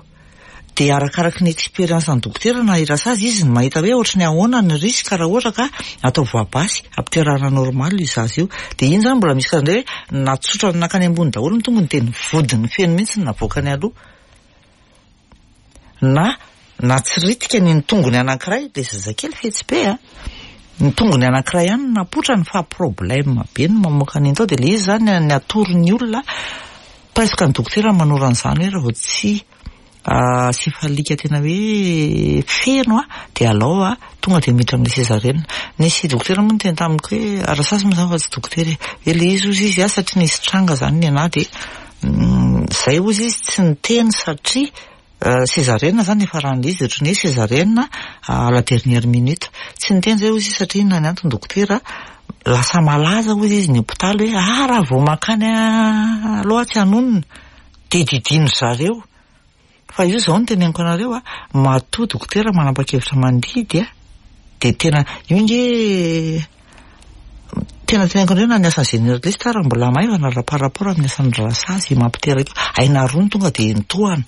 Dia arakaraka ny expérience ny dokotera na irasazy izy no mahita hoe ohatry ny ahoana ny risque raha ohatra ka atao voie basse ampiterahana normal io zaza io. Dia iny zany mbola misy karazana hoe natsotra nankany ambony daholo ny tongony dia ny vodiny feno mihitsy no navoakany aloha, na natsiritika ny tongony anankiray, le zazakely fetsy be a, ny tongony anankiray ihany no napotrany fa problème be no mamoaka an'iny tao. Dia le izy zany ny atoron'ny olona presque ny dokotera manoro an'izany hoe raha vao tsy céphalique tena hoe feno a dia alao a tonga dia miditra amin'ny césarienne. Nisy dokotera moa niteny tamiko hoe rasazy moa zany fa tsy dokotera e, hoe le izy ozy izy a satria nisy tranga zany ny anahy dia zay ozy izy tsy niteny satria césarienne zany efa raha izy ohatran'ny hoe césarienne à la dernière minute, tsy niteny zay ozy izy satria inona ny antony dokotera, lasa malaza ozy izy ny hopitaly hoe ah raha vao mankany aloha tsy hanonona dia didino zareo. Fa io zao no teneniko anareo a, matoa dokotera manapa-kevitra mandidy a dia tena io nge tena teneniko anareo na ny asan'ny généraliste ary mbola maivana raha par rapport amin'ny asan'ny rasazy mampiteraka io, aina roa no tonga dia nitohana.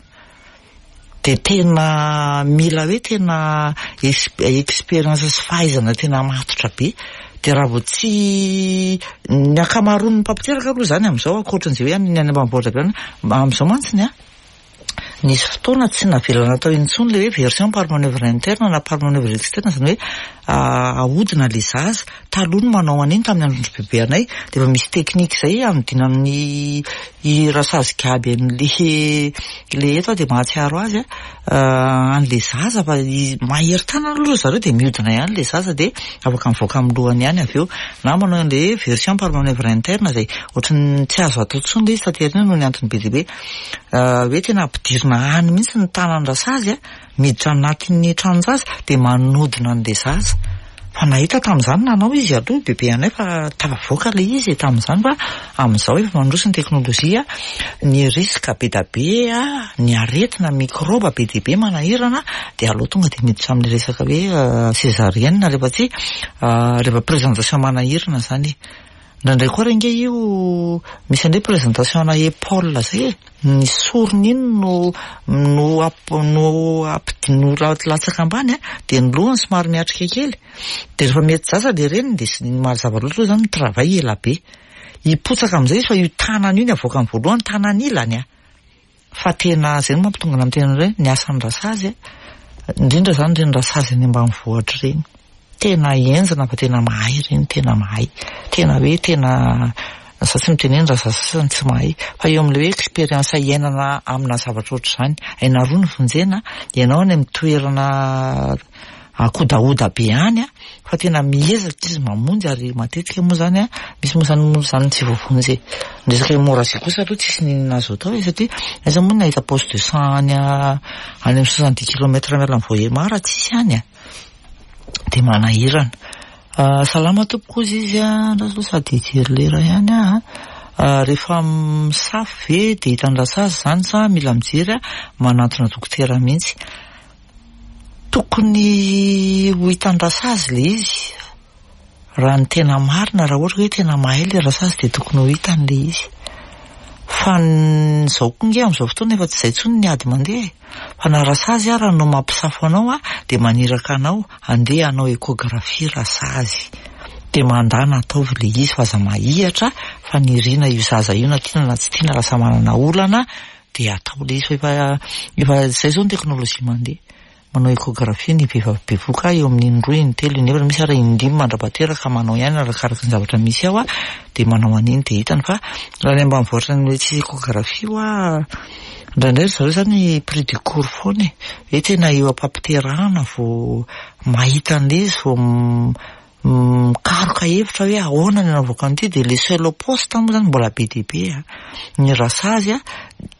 Dia tena mila hoe tena expérience sy fahaizana tena matotra be. Dia raha vao tsy ny ankamaroan'ny mpampiteraka aloha zany amin'izao ankoatran'izay hoe ny any ambanivohitra be any, amin'izao mantsy ny a nisy fotoana tsy navelana natao intsony le hoe version par manœuvre interne na par manœuvre externe, zany hoe ahodina le zaza. Taloha no manao an'iny tamin'ny androndro bebe anay, dia efa misy technique zay anodina amin'ny i rasazy gaby an'le le eto dia mahatsiaro azy a an'le zaza fa mahery tanana aloha zareo dia mihodina ihany le zaza dia afaka mivoaka amin'ny lohany ihany avy eo, na manao an'le version par manœuvre interne zay ohatran'ny tsy azo atao intsony le izy taty aoriana noho ny antony be dia be. Hoe tena ampidirina any mihitsy ny tanan-drasazy a, miditra anatin'ny tranon-jaza dia manodina an'ilay zaza. Fa nahita tamin'izany nanao izy aloha bebe anay fa tafavoaka ilay izy tamin'izany, fa amin'izao efa mandroso ny teknolojia, ny risque be da be a, ny aretina mikrôba be dia be manahirana, dia aleo tonga dia miditra amin'ny resaka hoe césarienne rehefa tsy rehefa présentation manahirana zany e. Indraindray koa re nge io misy an'ilay présentation ana épaule zay e, ny sorony iny no no amp- no ampidi- no latsaka ambany a, dia ny lohany somary miatrika kely, dia rehefa mety zaza le reniny dia sy mazava loatra aloha zany ny travail ela be. Hipotsaka amin'izay izy fa io tanana io ny avoakany voalohany, tanana ilany a. Fa tena zay no mampitonga amin'ny tena hoe ny asan'ny rasazy a, indrindra zany ireny rasazy any ambanivohitra ireny. Tena henjana fa tena mahay ireny, tena mahay. Tena hoe tena za tsy miteny hoe ny rasazy sasany tsy mahay, fa eo amin'ilay hoe expérience iainana amina zavatra ohatr'izany, aina roa ny vonjena, ianao any amin'ny toerana akodahoda be any a, fa tena miezaka izy mamonjy, ary matetika moa zany a, misy moa zany moa zany tsy voavonjy e. Ny resaka hémorragie kosa aloha tsisy n'inona azo atao e, satria aiza moa no nahita poste de sang any any amin'ny soixante-dix kilomètres miala amin'ny Vohemar, tsisy any a. Dia manahirana. Salama tompoko ozy izy a, andraso aloha sady hijery lera ihany aho a. Rehefa misafo ve dia hitan'ny rasazy zany sa mila mijery a, manantona dokotera mihitsy. Tokony ho hitan'ny rasazy ilay izy. Raha ny tena marina, raha ohatra hoe tena mahay ilay rasazy dia tokony ho hitany ilay izy. Fa izao koa nge amin'izao fotoana efa tsy izay intsony ny ady mandeha e. Fa na rasazy ara no mampisafo anao a, dia maniraka anao andeha hanao échographie rasazy. Dia mandana ataovy ilay izy fa aza mahihatra, fa nirina io zaza io na tiana na tsy tiana, lasa manana olana dia atao ilay izy fa efa efa izay izao ny teknolojia mandeha. Manao échographie ny vehivavy bevoka eo amin'ny indroa, intelo, inefatra, misy ary indimy mandra-pahateraka manao ihany arakaraka ny zavatra misy ao a, dia manao an'iny dia hitany. Fa raha ny ambanivohitra ny hoe tsisy échographie hoa, indraindray ry zareo zany pris de court foana e, hoe tena eo am-pampiterahana vao mahita an'ilay izy, vao mikaroka hevitra hoe ahoana ny anaovako an'ity, dia le seul poste moa zany mbola be dia be a. Ny rasazy a,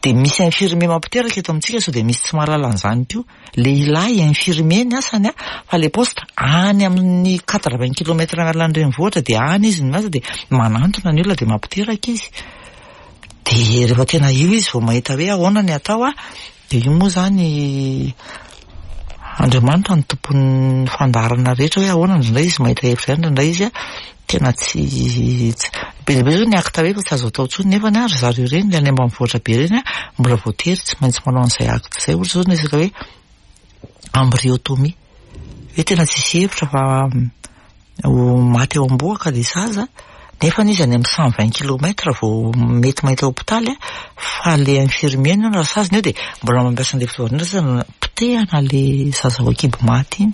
dia misy infirmier mampiteraka eto amintsika, sao dia misy tsy mahalala an'izany koa. Lehilahy infirmier ny asany a, fa le poste any amin'ny quatre-vingts kilomètres miala ny renivohitra, dia any izy no miasa, dia manantona ny olona dia mampiteraka izy. Dia rehefa tena io izy vao mahita hoe ahoana ny atao a, dia io moa zany Andriamanitra no tompon'ny fandaharana rehetra hoe ahoana, indraindray izy mahita hevitra ihany, indraindray izy a tena tsy be dia be zao ny acte hoe efa tsy azo atao intsony, nefa ny ry zareo ireny le any ambanivohitra be ireny a mbola voatery tsy maintsy manao an'izay acte izay. Ohatra zao ny resaka hoe embryotomie, hoe tena tsisy hevitra fa ho maty eo am-bohoka ilay zaza, nefa izy any amin'ny cent vingt kilomètres vao mety mahita hôpitaly a, fa le infirmier no rasaziny eo dia mbola mampiasa an'ilay fitaovana indray potehana le zaza ao an-kibo maty iny,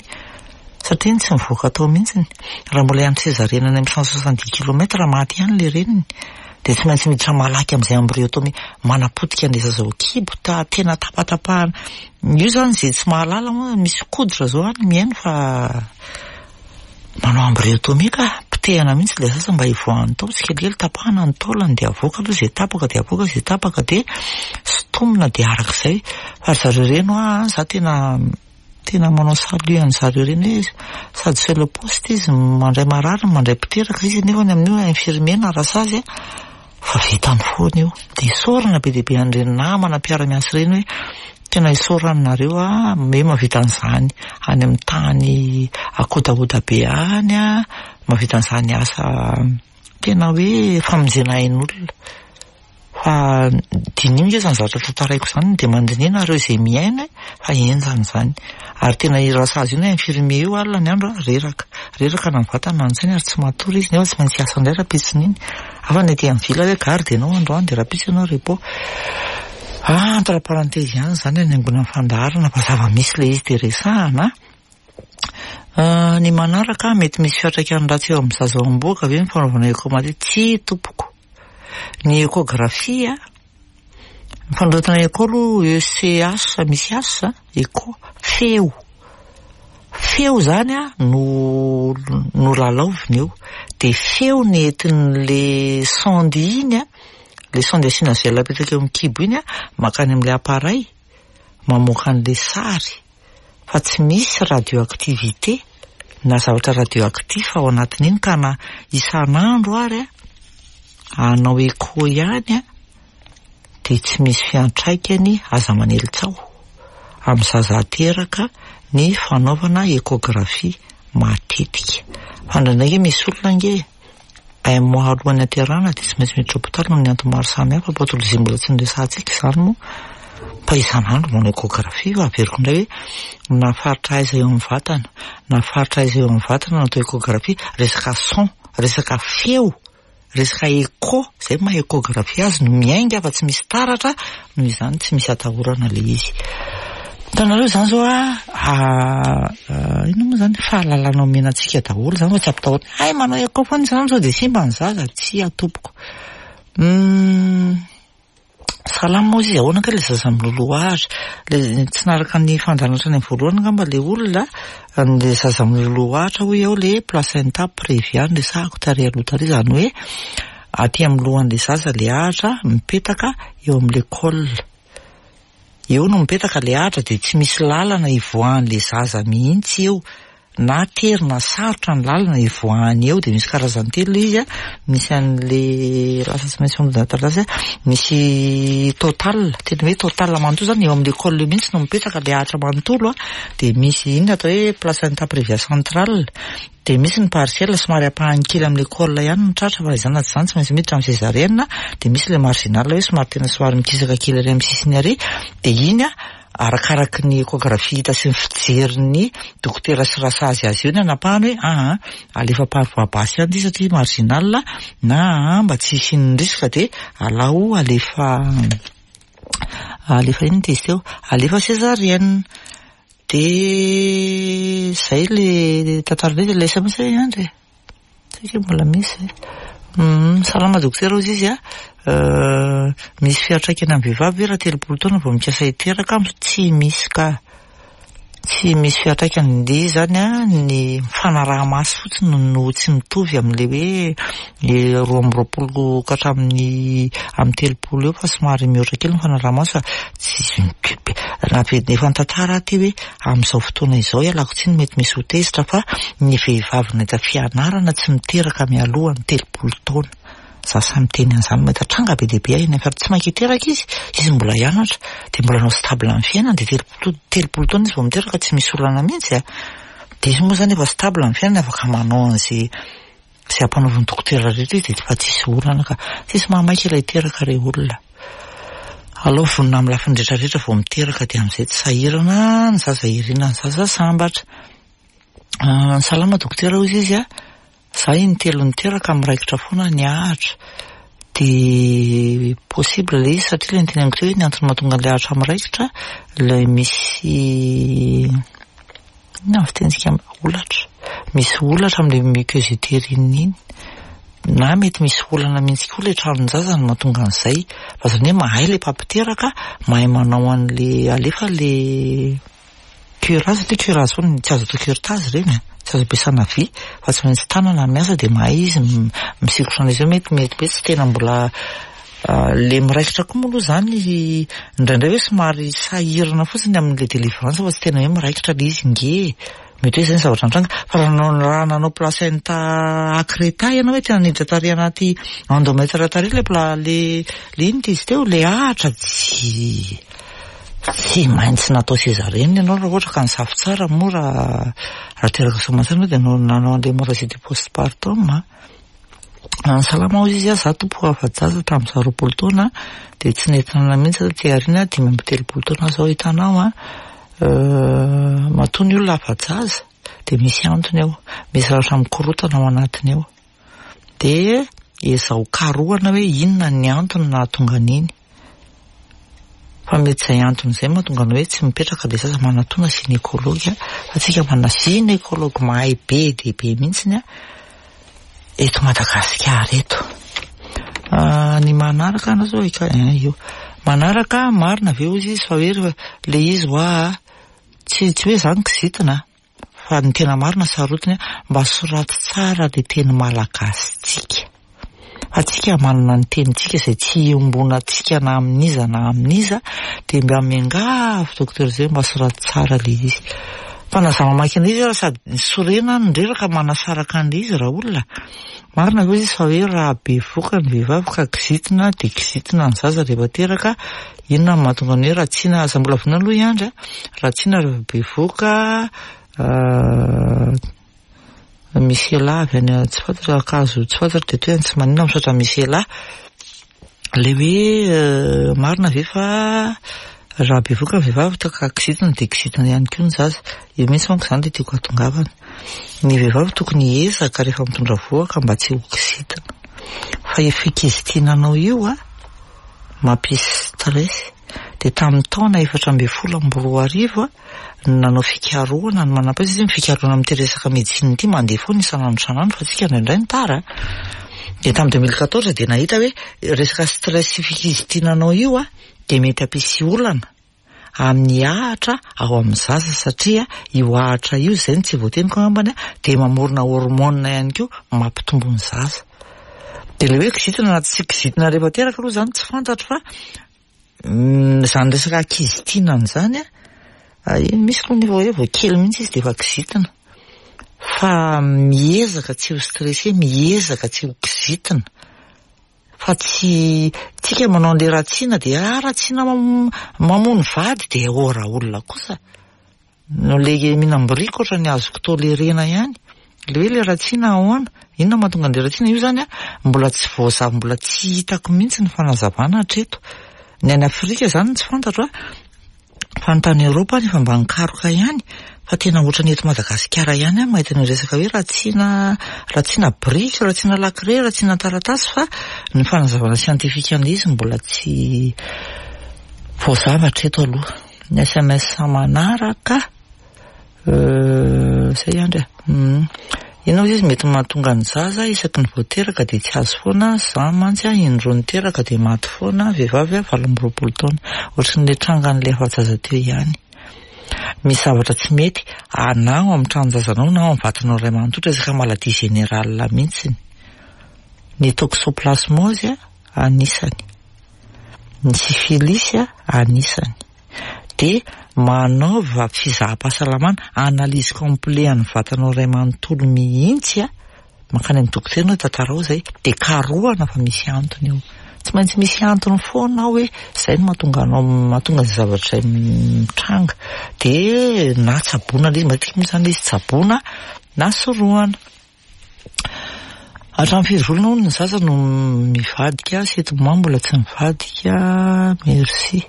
satria iny tsy mivoaka tao mihitsiny. Raha mbola hiandry césarienne any amin'ny cent soixante-dix kilomètres maty ihany le reniny, dia tsy maintsy miditra malaky amin'izay embryotomie manapotika an'ilay zaza ao an-kibo, ta tena tapatapahana. Io zany izay tsy mahalala moa misy koditra zao any mihaino fa manao embryotomie ka potehana mihitsy ilay zaza mba hivoahany tao tsikelikely, tapahana ny taolany dia avoaka aloha izay tapaka, dia avoaka izay tapaka, dia sintomina dia arak'izay. Fa ry zareo ireny hoa, za tena tena manao salut an'zareo ireny hoe sady seul poste izy mandray marary, mandray mpiteraka izy, nefa ny amin'io infirmier na rasazy a, fa vitany foana io. Dia isaorana be dia be an'ireny namana mpiara-miasa ireny hoe tena isaorana nareo a, hoe mahavita an'izany any amin'ny tany akodahoda be any a, mahavita an'izany asa tena hoe famonjena ain'olona. Fa diniho nge zany zavatra tantaraiko izany, dia mandiniha nareo izay miaina fa henjana izany. Ary tena io rasazy io na infirmier io alina ny andro a, reraka. Reraka na ny vatana na ny sainy ary tsy matory izy, nefa tsy maintsy hiasa indray rahampitsony iny. Hafa ny aty amin'ny villa hoe garde ianao androany dia rahampitso ianao repos. Ah, entre parenthèse ihany zany any angonan'ny fandaharana fa zava-misy ilay izy dia resahana. Ny manaraka, mety misy fiantraikany ratsy eo amin'ny zaza ao am-bohoka ve ny fanaovana écho matetika? Tsia tompoko. Ny échographie a, ny fanoratana écho aloha E C H misy H, écho, feo. Feo zany a no no lalaovina eo. Dia feo ny entin'le sonde iny a, Le sonde asiana gel apetraka eo amin'ny kibo iny a, mankany amin'ilay appareil mamoaka an'ilay sary, fa tsy misy radioactivité na zavatra radioactif ao anatin'iny, ka na isan'andro ary a hanao écho ihany a dia tsy misy fiantraikany. Aza manely tsaho amin'ny zaza ateraka ny fanaovana échographie matetika, fa indraindray misy olona ange un mois alohan'ny aterahana dia tsy maintsy miditra hôpitaly noho ny antony maro samihafa, pathologie mbola tsy noresahantsika izany moa, fa isan'andro manao échographie. Fa averiko indray hoe na faritra aiza eo amin'ny vatana, na faritra aiza eo amin'ny vatana no atao échographie, resaka son, resaka feo, resaka écho, zay maha échographie azy no miainga fa tsy misy taratra, noho izany tsy misy atahorana le izy. Hitanareo zany zao a, inona moa zany fahalalana omena antsika daholo zany fa tsy ampitahorana hay manao écho foana isan'andro sao dia simba ny zaza, tsia tompoko. Salama moa izy, ahoana kay le zaza miloloha ahitra? Le tsy naraka ny fandaharana hatrany amin'ny voalohany angamba le olona, le zaza miloloha ahitra hoy aho, le placenta prévia no resahako tary aloha tary, izany hoe aty amin'ny lohan'le zaza le ahitra mipetaka eo amin'le col. Eo no mipetaka le ahitra dia tsy misy lalana ivoahan'le zaza mihitsy eo, na tery na sarotra ny lalana ivoahany eo. Dia misy karazany telo izy a, misy an'le lasa tsy maintsy mandà taratasy a, misy total, tena hoe total manontolo zany eo amin'le col eo mihitsy no mipetraka le ahitra manontolo a, dia misy iny atao hoe placenta prévia centrale, dia misy ny partiel somary ampahany kely amin'le col ihany no tratra, fa izany na tsy izany tsy maintsy miditra amin'ny césarienne, dia misy le marginal hoe somary tena somary mikisaka kely ary amin'ny sisiny ary, dia iny a arakaraky ny échographie hita sy ny fijerin'ny dokotera sy rasazy azy eo ny anapahany hoe aa alefa par voie basse ihany ity satria marginal, na aa mba tsy hisian'ny risque dia alao alefa alefa inona izy teo, alefa césarienne. Dia zay le tantara le le S M S ihany e, tsika mbola misy. Salama dokotera hozy izy a, misy fiantraikany amin'ny vehivavy ve raha telopolo taona vao mikasa hiteraka? Tsy misy ka, tsy misy fiantraikany. Le zany a, ny fanaraha-maso fotsiny no tsy mitovy amin'le hoe le roa amby roapolo ka hatramin'ny amin'ny telopolo eo, fa somary mihoatra kely ny fanaraha-maso, fa tsy raha efa nitantara aho ty hoe amin'izao fotoana izao, ialako tsiny mety misy ho tezitra, fa ny vehivavy nahita fianarana tsy miteraka mialoha ny telopolo taona. Za samy miteny an'izany, mahita tranga be dia be aho eny amin'ny tsy mainka hiteraka izy, izy mbola hianatra, dia mbola hanao stable amin'ny fiainana, dia telopolo telopolo taona izy vao miteraka, tsy misy olana mihitsy a. Dia izy moa zany efa stable amin'ny fiainana, afaka manao an'izay izay ampanaovin'ny dokotera rehetra izy, dia efa tsisy olana ka. Tsisy mahamaika ilay hiteraka re olona. Aleo vonona amin'ny lafiny rehetra rehetra vao miteraka, dia amin'izay tsy sahirana ny zaza irina, ny zaza sambatra. Salama dokotera hozy izy a, za intelo niteraka miraikitra foana ny ahitra. Dia possible le izy satria le niteneniko teo hoe ny antony mahatonga an'ilay ahitra miraikitra, ilay misy inona ny fitenitsika holatra, misy holatra amin'ilay muqueuse utérine iny, na mety misy olana mihitsy koa ilay tranon-jaza no mahatonga an'izay. Fa zany hoe mahay ilay mpampiteraka, mahay manao an'le alefa le curage, satria curage foana tsy azo atao curetage ireny a, tsy azo ampiasana vy fa tsy maintsy tanana miasa, dia mahay izy misikotra an'izy io. Mety mety hoe tsy tena mbola le miraikitra koa moa aloha zany indraindray hoe somary sahirana fotsiny amin'le délivrance, fa tsy tena hoe miraikitra le izy nge, mety hoe zay ny zavatra nitranga. Fa raha nanao raha nanao placenta accreta ianao hoe tena niditra tary anaty endomètre tary le pla le le ino izy teo le ahitra, tsy tsy maintsy natao césarienne ianao raha ohatra ka nisafo tsara moa, raha raha teraka soamantsara dia nanao nanao an'le hémorragie du postpartum. Salama hozy izy a, za tompo afa-jaza tamin'ny za roapolo taona dia tsy nentina mihitsy taty aoriana, dimy amby telopolo taona zao hitanao a, matoa ny olona afa-jaza dia misy antony eo, misy zavatra mikorotana ao anatiny eo, dia ezao karohana hoe inona ny antony nahatonga an'iny, fa mety izay antony izay mahatonga anao hoe tsy mipetraka le zaza. Manatona gynécologue, fa tsika manana gynécologue mahay be dia be mihitsiny a eto Madagasikara eto. Ny manaraka anao zao io manaraka marina ve hozy izy fa hoe le izy hoa tsy tsy hoe zany kizitina, fa ny tena marina sarotiny mba soraty tsara le teny malagasy tsika, Fa tsika manana ny tenintsika izay tsy iombonantsika na amin'iza na amin'iza, dia mba miangavy docteur zay mba soraty tsara ilay izy. Fa na za mamaky an'ilay izy ary sady sorena no reraka manasaraka an'ilay izy raha olona. Marina ve izy fa hoe raha bevoka ny vehivavy ka kizitina dia kizitina ny zaza rehefa teraka, inona no mahatonga ny hoe ratsiana, aza mbola vonona aloha i Andry a, ratsiana rehefa bevoka, misy ela avy any tsy fantatra ankazo tsy fantatra dia toy ny tsy maninona misaotra misy ela. Ilay hoe marina ve fa raha bevoka ny vehivavy ka kizitina dia kizitina ihany koa ny zaza. Io mihitsy manko izany dia tiako hahatongavana. Ny vehivavy tokony hiezaka rehefa mitondra vohoka mba tsy ho kizitina. Fa io fikizitinanao io a mampisy stress. Dia tamin'ny taona efatra ambin'ny folo amby roa arivo a nanao fikarohana ny manam-pahaizana izy, ny fikarohana amin'ity resaka médecine ity mandeha foana isan'andro isan'andro fa tsika indraindray ny tara. Dia tamin'ny deux mille quatorze dia nahita hoe resaka stress sy fikizitinanao io a dia mety hampisy olana amin'ny ahatra ao amin'ny zaza, satria io ahatra io izay no tsy voateniko angambany a dia mamorona hormone ihany koa mampitombo ny zaza. Dia ilay hoe kizitina na tsy kizitina rehefa teraka aloha izany tsy fantatro fa izany resaka kizitinana izany a, iny misy koa nefa hoe vao kely mihitsy izy dia efa kizitina. Fa miezaka tsy ho stressé, miezaka tsy ho kizitina. Fa tsy tsika manao an'ilay ratsiana dia ah ratsiana mamono vady dia oh raha olona kosa. No le mihinam-biriky ohatran'ny azoko tolerena ihany. Le hoe le ratsiana ahoana? Inona mahatonga an'ilay ratsiana? Io zany a mbola tsy voazava, mbola tsy hitako mihitsy ny fanazavana hatreto. Ny any Afrika zany tsy fantatro a, fa ny tany Eoropa efa mba nikaroka ihany, fa tena ohatran'ny eto Madagasikara ihany aho mahita ny resaka hoe ratsiana, ratsiana biriky, ratsiana lakile, ratsiana taratasy, fa ny fanazavana siantifika an'ilay izy mbola tsy voazava hatreto aloha. Ny S M S manaraka, zay Andry a. Inona izy mety mahatonga ny zaza isaky ny voateraka dia tsy azo foana, za mantsy a indroa niteraka dia maty foana, vehivavy a valo amby roapolo taona. Ohatran'ilay trangan'ilay afa-jaza teo ihany. Misy zavatra tsy mety na ao amin'ny tranon-jazanao na ao amin'ny vatanao iray manontolo, resaka maladie générale mihitsy. Ny toxoplasmose a anisany, ny syphilis a anisany. Dia manaova fizaham-pahasalamana, analyse complet an'ny vatanao iray manontolo mihitsy a, mankany amin'ny dokotera ianao tantarao izay, dia karohana fa misy antony io. Tsy maintsy misy antony foana ao hoe izay no mahatonga anao, mahatonga izay zavatra izay mitranga. Dia na tsaboina ilay izy, matetika moa izany ilay izy tsaboina na sorohana. Hatramin'ny firy volana hono ny zaza no mivadika, sept mois mbola tsy mivadika, merci.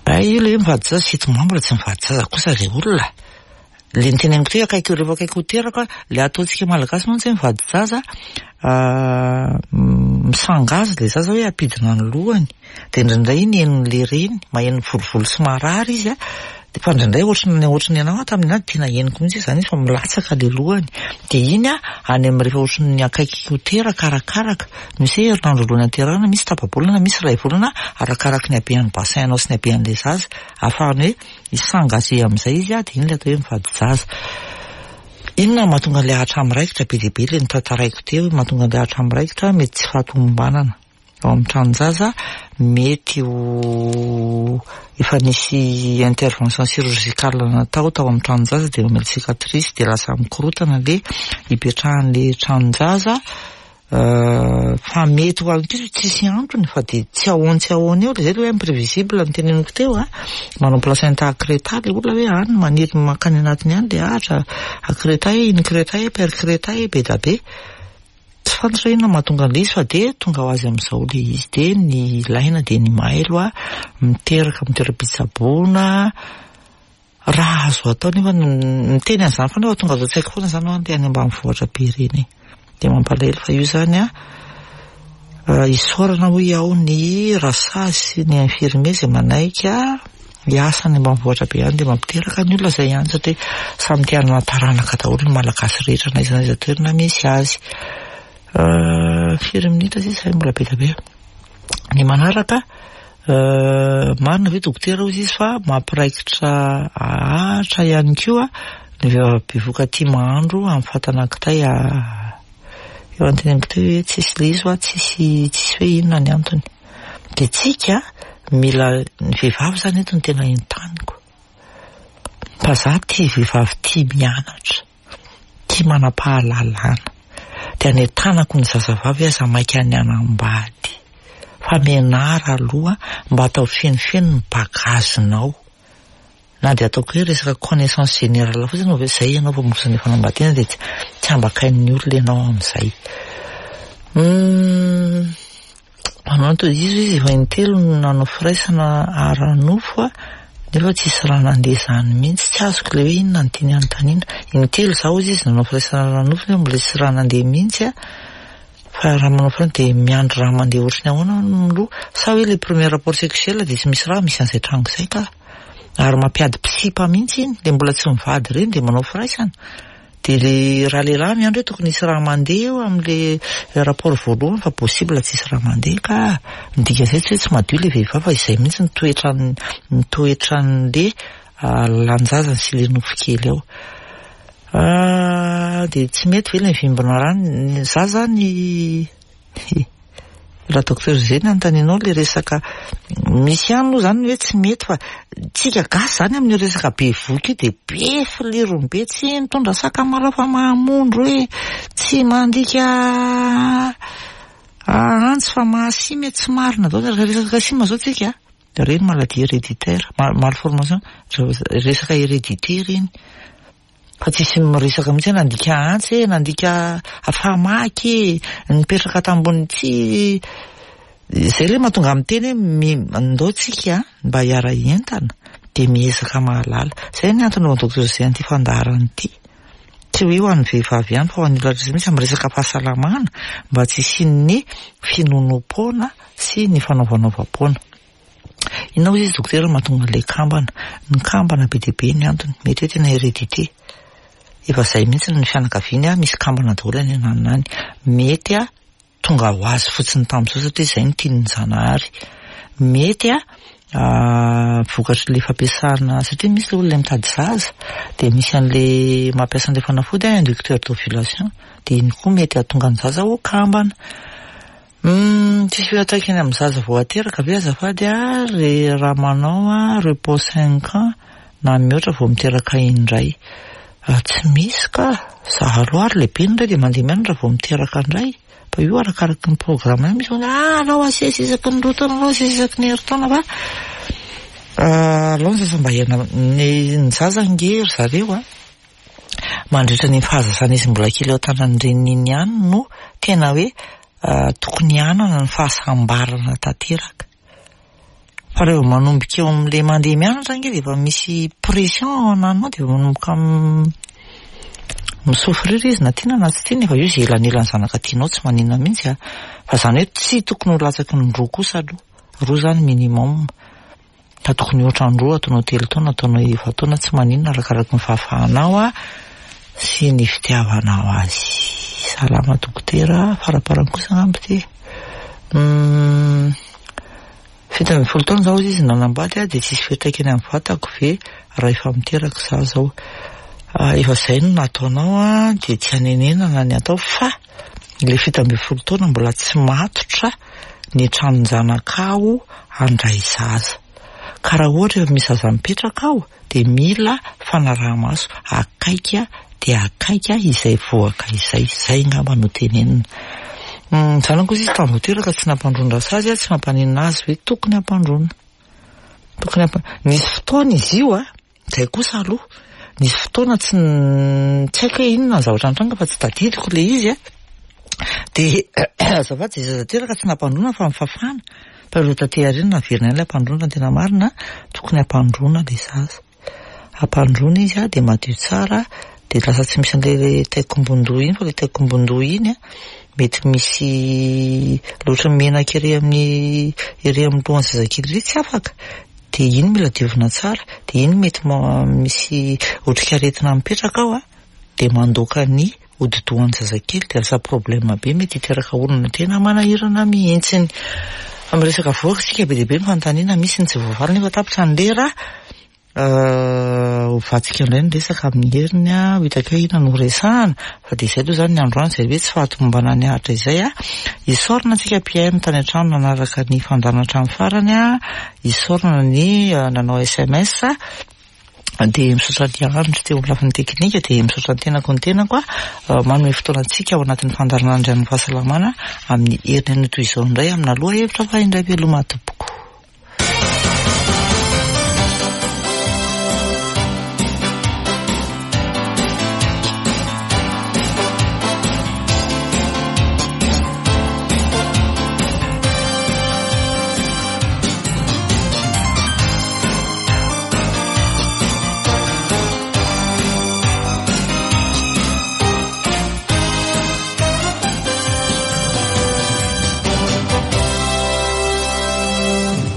Ay, io ilay hoe mivady zaza, sept mois mbola tsy mivady zaza kosa ilay olona. Ilay niteneniko teo akaiky rehefa akaiky ho teraka, ilay ataontsika malagasy mantsy hoe mivady zaza, misangazy ilay zaza hoe ampidina ny lohany. Dia indraindray iny henon'ilay reny, maheno volovolo sy marary izy a. Dia fa indraindray ohatran'ny, ohatran'ny anao tamin'ny anahy tena henoko mihitsy izany izy fa milatsaka ilay lohany. Dia iny a, any amin'ny rehefa ohatran'ny akaiky ho teraka arakaraka. Misy hoe herinandro alohan'ny haterahana, misy tapa-bolana, misy iray volana, arakaraka ny habean'ny bassin anao sy ny habean'ilay zaza. Ahafahany hoe hisangaze amin'izay izy a, dia iny ilay atao hoe mivady zaza. Inona no mahatonga an'ilay ahatra miraikitra be dia be ilay notantaraiko teo, mahatonga an'ilay ahatra miraikitra mety tsy fahatomombanana ao amin'ny tranon-jaza, mety ho efa nisy intervention chirurgicale natao tao amin'ny tranon-jaza dia mamela cicatrice dia lasa mikorotana ilay ipetrahan'ilay tranon-jaza. Fa mety ho an'ny ankizy tsisy antony fa dia tsy ahoany tsy ahoany eo, ilay izay ilay hoe imprévisible no teneniko teo a. Manao placenta accreta ilay olona hoe any maniry mankany anatiny any ilay ahatra accreta, increta, percreta, be da be. Tsy fantatra inona mahatonga an'ilay izy fa dia tonga ho azy amin'izao ilay izy. Dia ny ilaina dia ny mailo a, miteraka amin'ny toeram-pitsaboana. Raha azo atao nefa miteny an'izany foana fa tonga azo an-tsaiko foana izany hoe any ambanivohitra be ireny e. Dia mampalahelo fa io izany a, isaorana hoy aho ny rasazy sy ny infirmier izay manaiky hiasa any ambanivohitra be any dia mampiteraka ny olona izay ihany, satria samy te hanana taranaka daholo ny malagasy rehetra na aiza na aiza toerana misy azy. Firy minitra sisa izay mbola be dia be. Ny manaraka, marina ve dokotera hoy izy fa mampiraikitra ahatra ihany koa ny vehivavy bevoka tia mahandro amin'ny fatana kitay a. Eo anteneniko teo hoe tsisy le izy hoa, tsisy tsisy hoe inona ny antony. Dia tsika mila ny vehivavy zany eto no tena entaniko. Fa za tia vehivavy tia mianatra, tia manam-pahalalana. Dia anentanako ny zazavavy aza maika ny hanambady. Fa mianara aloha mba atao fenofeno ny bagazinao. Na dia ataoko hoe resaka connaissance générale fotsiny hoe zay ianao vao miroso ny fanambadiana dia tsy ambakain'ny olona ianao amin'izay. Hmm, manao toy izy izy efa intelo no nanao firaisana ara-nofo a, nefa tsisy raha nandeha izany mihitsy. Tsy azoko ilay hoe inona no tiany anontaniana. Intelo zaho izy izy nanao firaisana ara-nofo nefa mbola tsisy raha nandeha mihitsy a. Fa raha manao firaisana dia miandry raha mandeha ohatry ny ahoana aloha. Sa hoe le premier rapport sexuel dia tsy misy raha, misy an'izay tranga izay ka. Ary mampiady mpisipa mihitsy iny, le mbola tsy mivady ireny dia manao firaisana. Dia le raha lehilahy miandry hoe tokony hisy raha mandeha eo amin'le rapport voalohany fa possible tsisy raha mandeha ka. Ny dikan'izay tsy hoe tsy madio le vehivavy fa izay mihitsy ny toetran'ny ny toetran'le lalan-jazany sy le nofo kely ao. Dia tsy mety ve le mivimbina rano? Za zany raha docteur Zay ny anontanianao le resaka misy ihany moa zany hoe tsy mety fa tsika gasy zany amin'io resaka bevoka io dia be filirony be, tsy mitondra sakamalaho fa mahamondro hoe tsy mandika antsy fa mahasimy, tsy marina daholo. Resaka sima zao tsika, reny maladie héréditaire, malformation, resaka hérédité reny. Fa tsisy miresaka mihitsy hoe nandika antsy e, nandika famaky e, nipetraka tambony tsy zay le mahatonga amin'ny teny hoe ndao tsika mba hiara-hientana dia miezaka mahalala. Zay ny antony anaovan'ny docteur Zay an'ity fandaharana ity. Tsy hoe ho an'ny vehivavy ihany fa ho an'ny olona rehetra mihitsy amin'ny resaka fahasalamana mba tsy hisian'ny finoanoam-poana sy ny fanaovanaovam-poana. Inona hoy izy dokotera mahatonga an'ilay kambana? Ny kambana be dia be ny antony, mety hoe tena hérédité. Efa zay mihitsy ny fianakaviany a, misy kambana daholo any ananona any. Mety a tonga ho azy fotsiny tamin'izao satria zay no tian'ny Zanahary. Mety a vokatry le fampiasana satria misy le olona mitady zaza dia misy an'le mampiasa an'le fanafody a, inducteur d'ovulation, dia iny koa mety hahatonga ny zaza ho kambana. Hmm, tsisy fiantraikany amin'ny zaza vao ateraka ve azafady a re raha manao a repos cinq ans na mihoatra vao miteraka indray? Tsy misy ka, za aloha ary lehibe indray dia mandeha mianatra vao miteraka indray. Fa io arakaraky ny programme io misy hoe ah alao asesy isaky ny roa taona, alao asesy isaky ny herintaona fa alao ny zaza mba hiaina ny ny zaza nge ry zareo a mandritra ny fahazazana izy mbola kely eo an-tanan'ny reniny iny ihany no tena hoe tokony hanana ny fahasambarana tanteraka. Fa rehefa manomboka eo amin'le mandeha mianatra nge dia efa misy pression ao ananao dia efa manomboka misouffrir izy na tiana na tsy tiana, efa io izay elanelan'ny zanaka tianao tsy maninona mihitsy a. Fa zany hoe tsy tokony ho latsaky ny roa kosa aloha, roa zany minimum. Fa tokony ohatran'ny roa ataonao telo taona, ataonao efa-taona tsy maninona arakaraky ny fahafahanao a sy ny fitiavanao azy. Salama dokotera, faraparany kosa angamba ity. Hmm, fito ambin'ny folo taona zaho izy nanambady a dia tsisy fiantraikany amin'ny vatako ve raha efa miteraka za zao? Efa zay no nataonao a dia tsy hanenenana ny atao fa le fito ambin'ny folo taona mbola tsy matotra ny tranon-janakao handray zaza. Ka raha ohatra efa misy zaza mipetraka ao dia mila fanaraha-maso akaiky dia akaiky izay voaka izay, zay angamba no tenenina. Zanako izy tamin'ny vao teraka tsy nampandroana sazy a, tsy mampaninona azy hoe tokony hampandroana. Tokony hampa nisy fotoana izy io a, zay kosa aloha, nisy fotoana tsy tsy haiko hoe inona ny zavatra nitranga fa tsy tadidiko le izy a. Dia azafady zay zaza teraka tsy nampandroana fa nifafana. Fa rehefa taty aoriana naverina ihany ilay hampandroana fa ny tena marina tokony hampandroana le zaza. Hampandroana izy a dia madio tsara dia lasa tsy misy an'ilay taikombondoha iny fa ilay taikombondoha iny a mety misy loatra menaka ery amin'ny ery amin'ny lohan'ny zazakely ery tsy afaka. Dia iny mila diovina tsara, dia iny mety misy otrikaretina mipetraka ao a dia mandoaka ny hodi-dohan'ny zazakely dia lasa problème be mety hiteraka olana tena manahirana mihitsiny. Fa miresaka vohoka isika be dia be ny fanontaniana misy ny tsy voavaly nefa tapitra ny lera. Hovantsika indray ny resaka amin'ny heriny a, ho hitako hoe inona no resahana, fa dia izay aloha izany ny androany, izay hoe tsy fahatomombanana ny ahitra izay a. Isaorana antsika mpihaino tany an-trano nanaraka ny fandaharana hatramin'ny farany a, isaorana ny nanao S M S, dia misaotra ny Andry teo amin'ny lafiny teknika, dia misaotra ny tenako ny tenako a, manome fotoana antsika ao anatin'ny fandaharana Andrian'ny Fahasalamana amin'ny heriny anio toy izao indray amina lohahevitra fa indray veloma tompoko.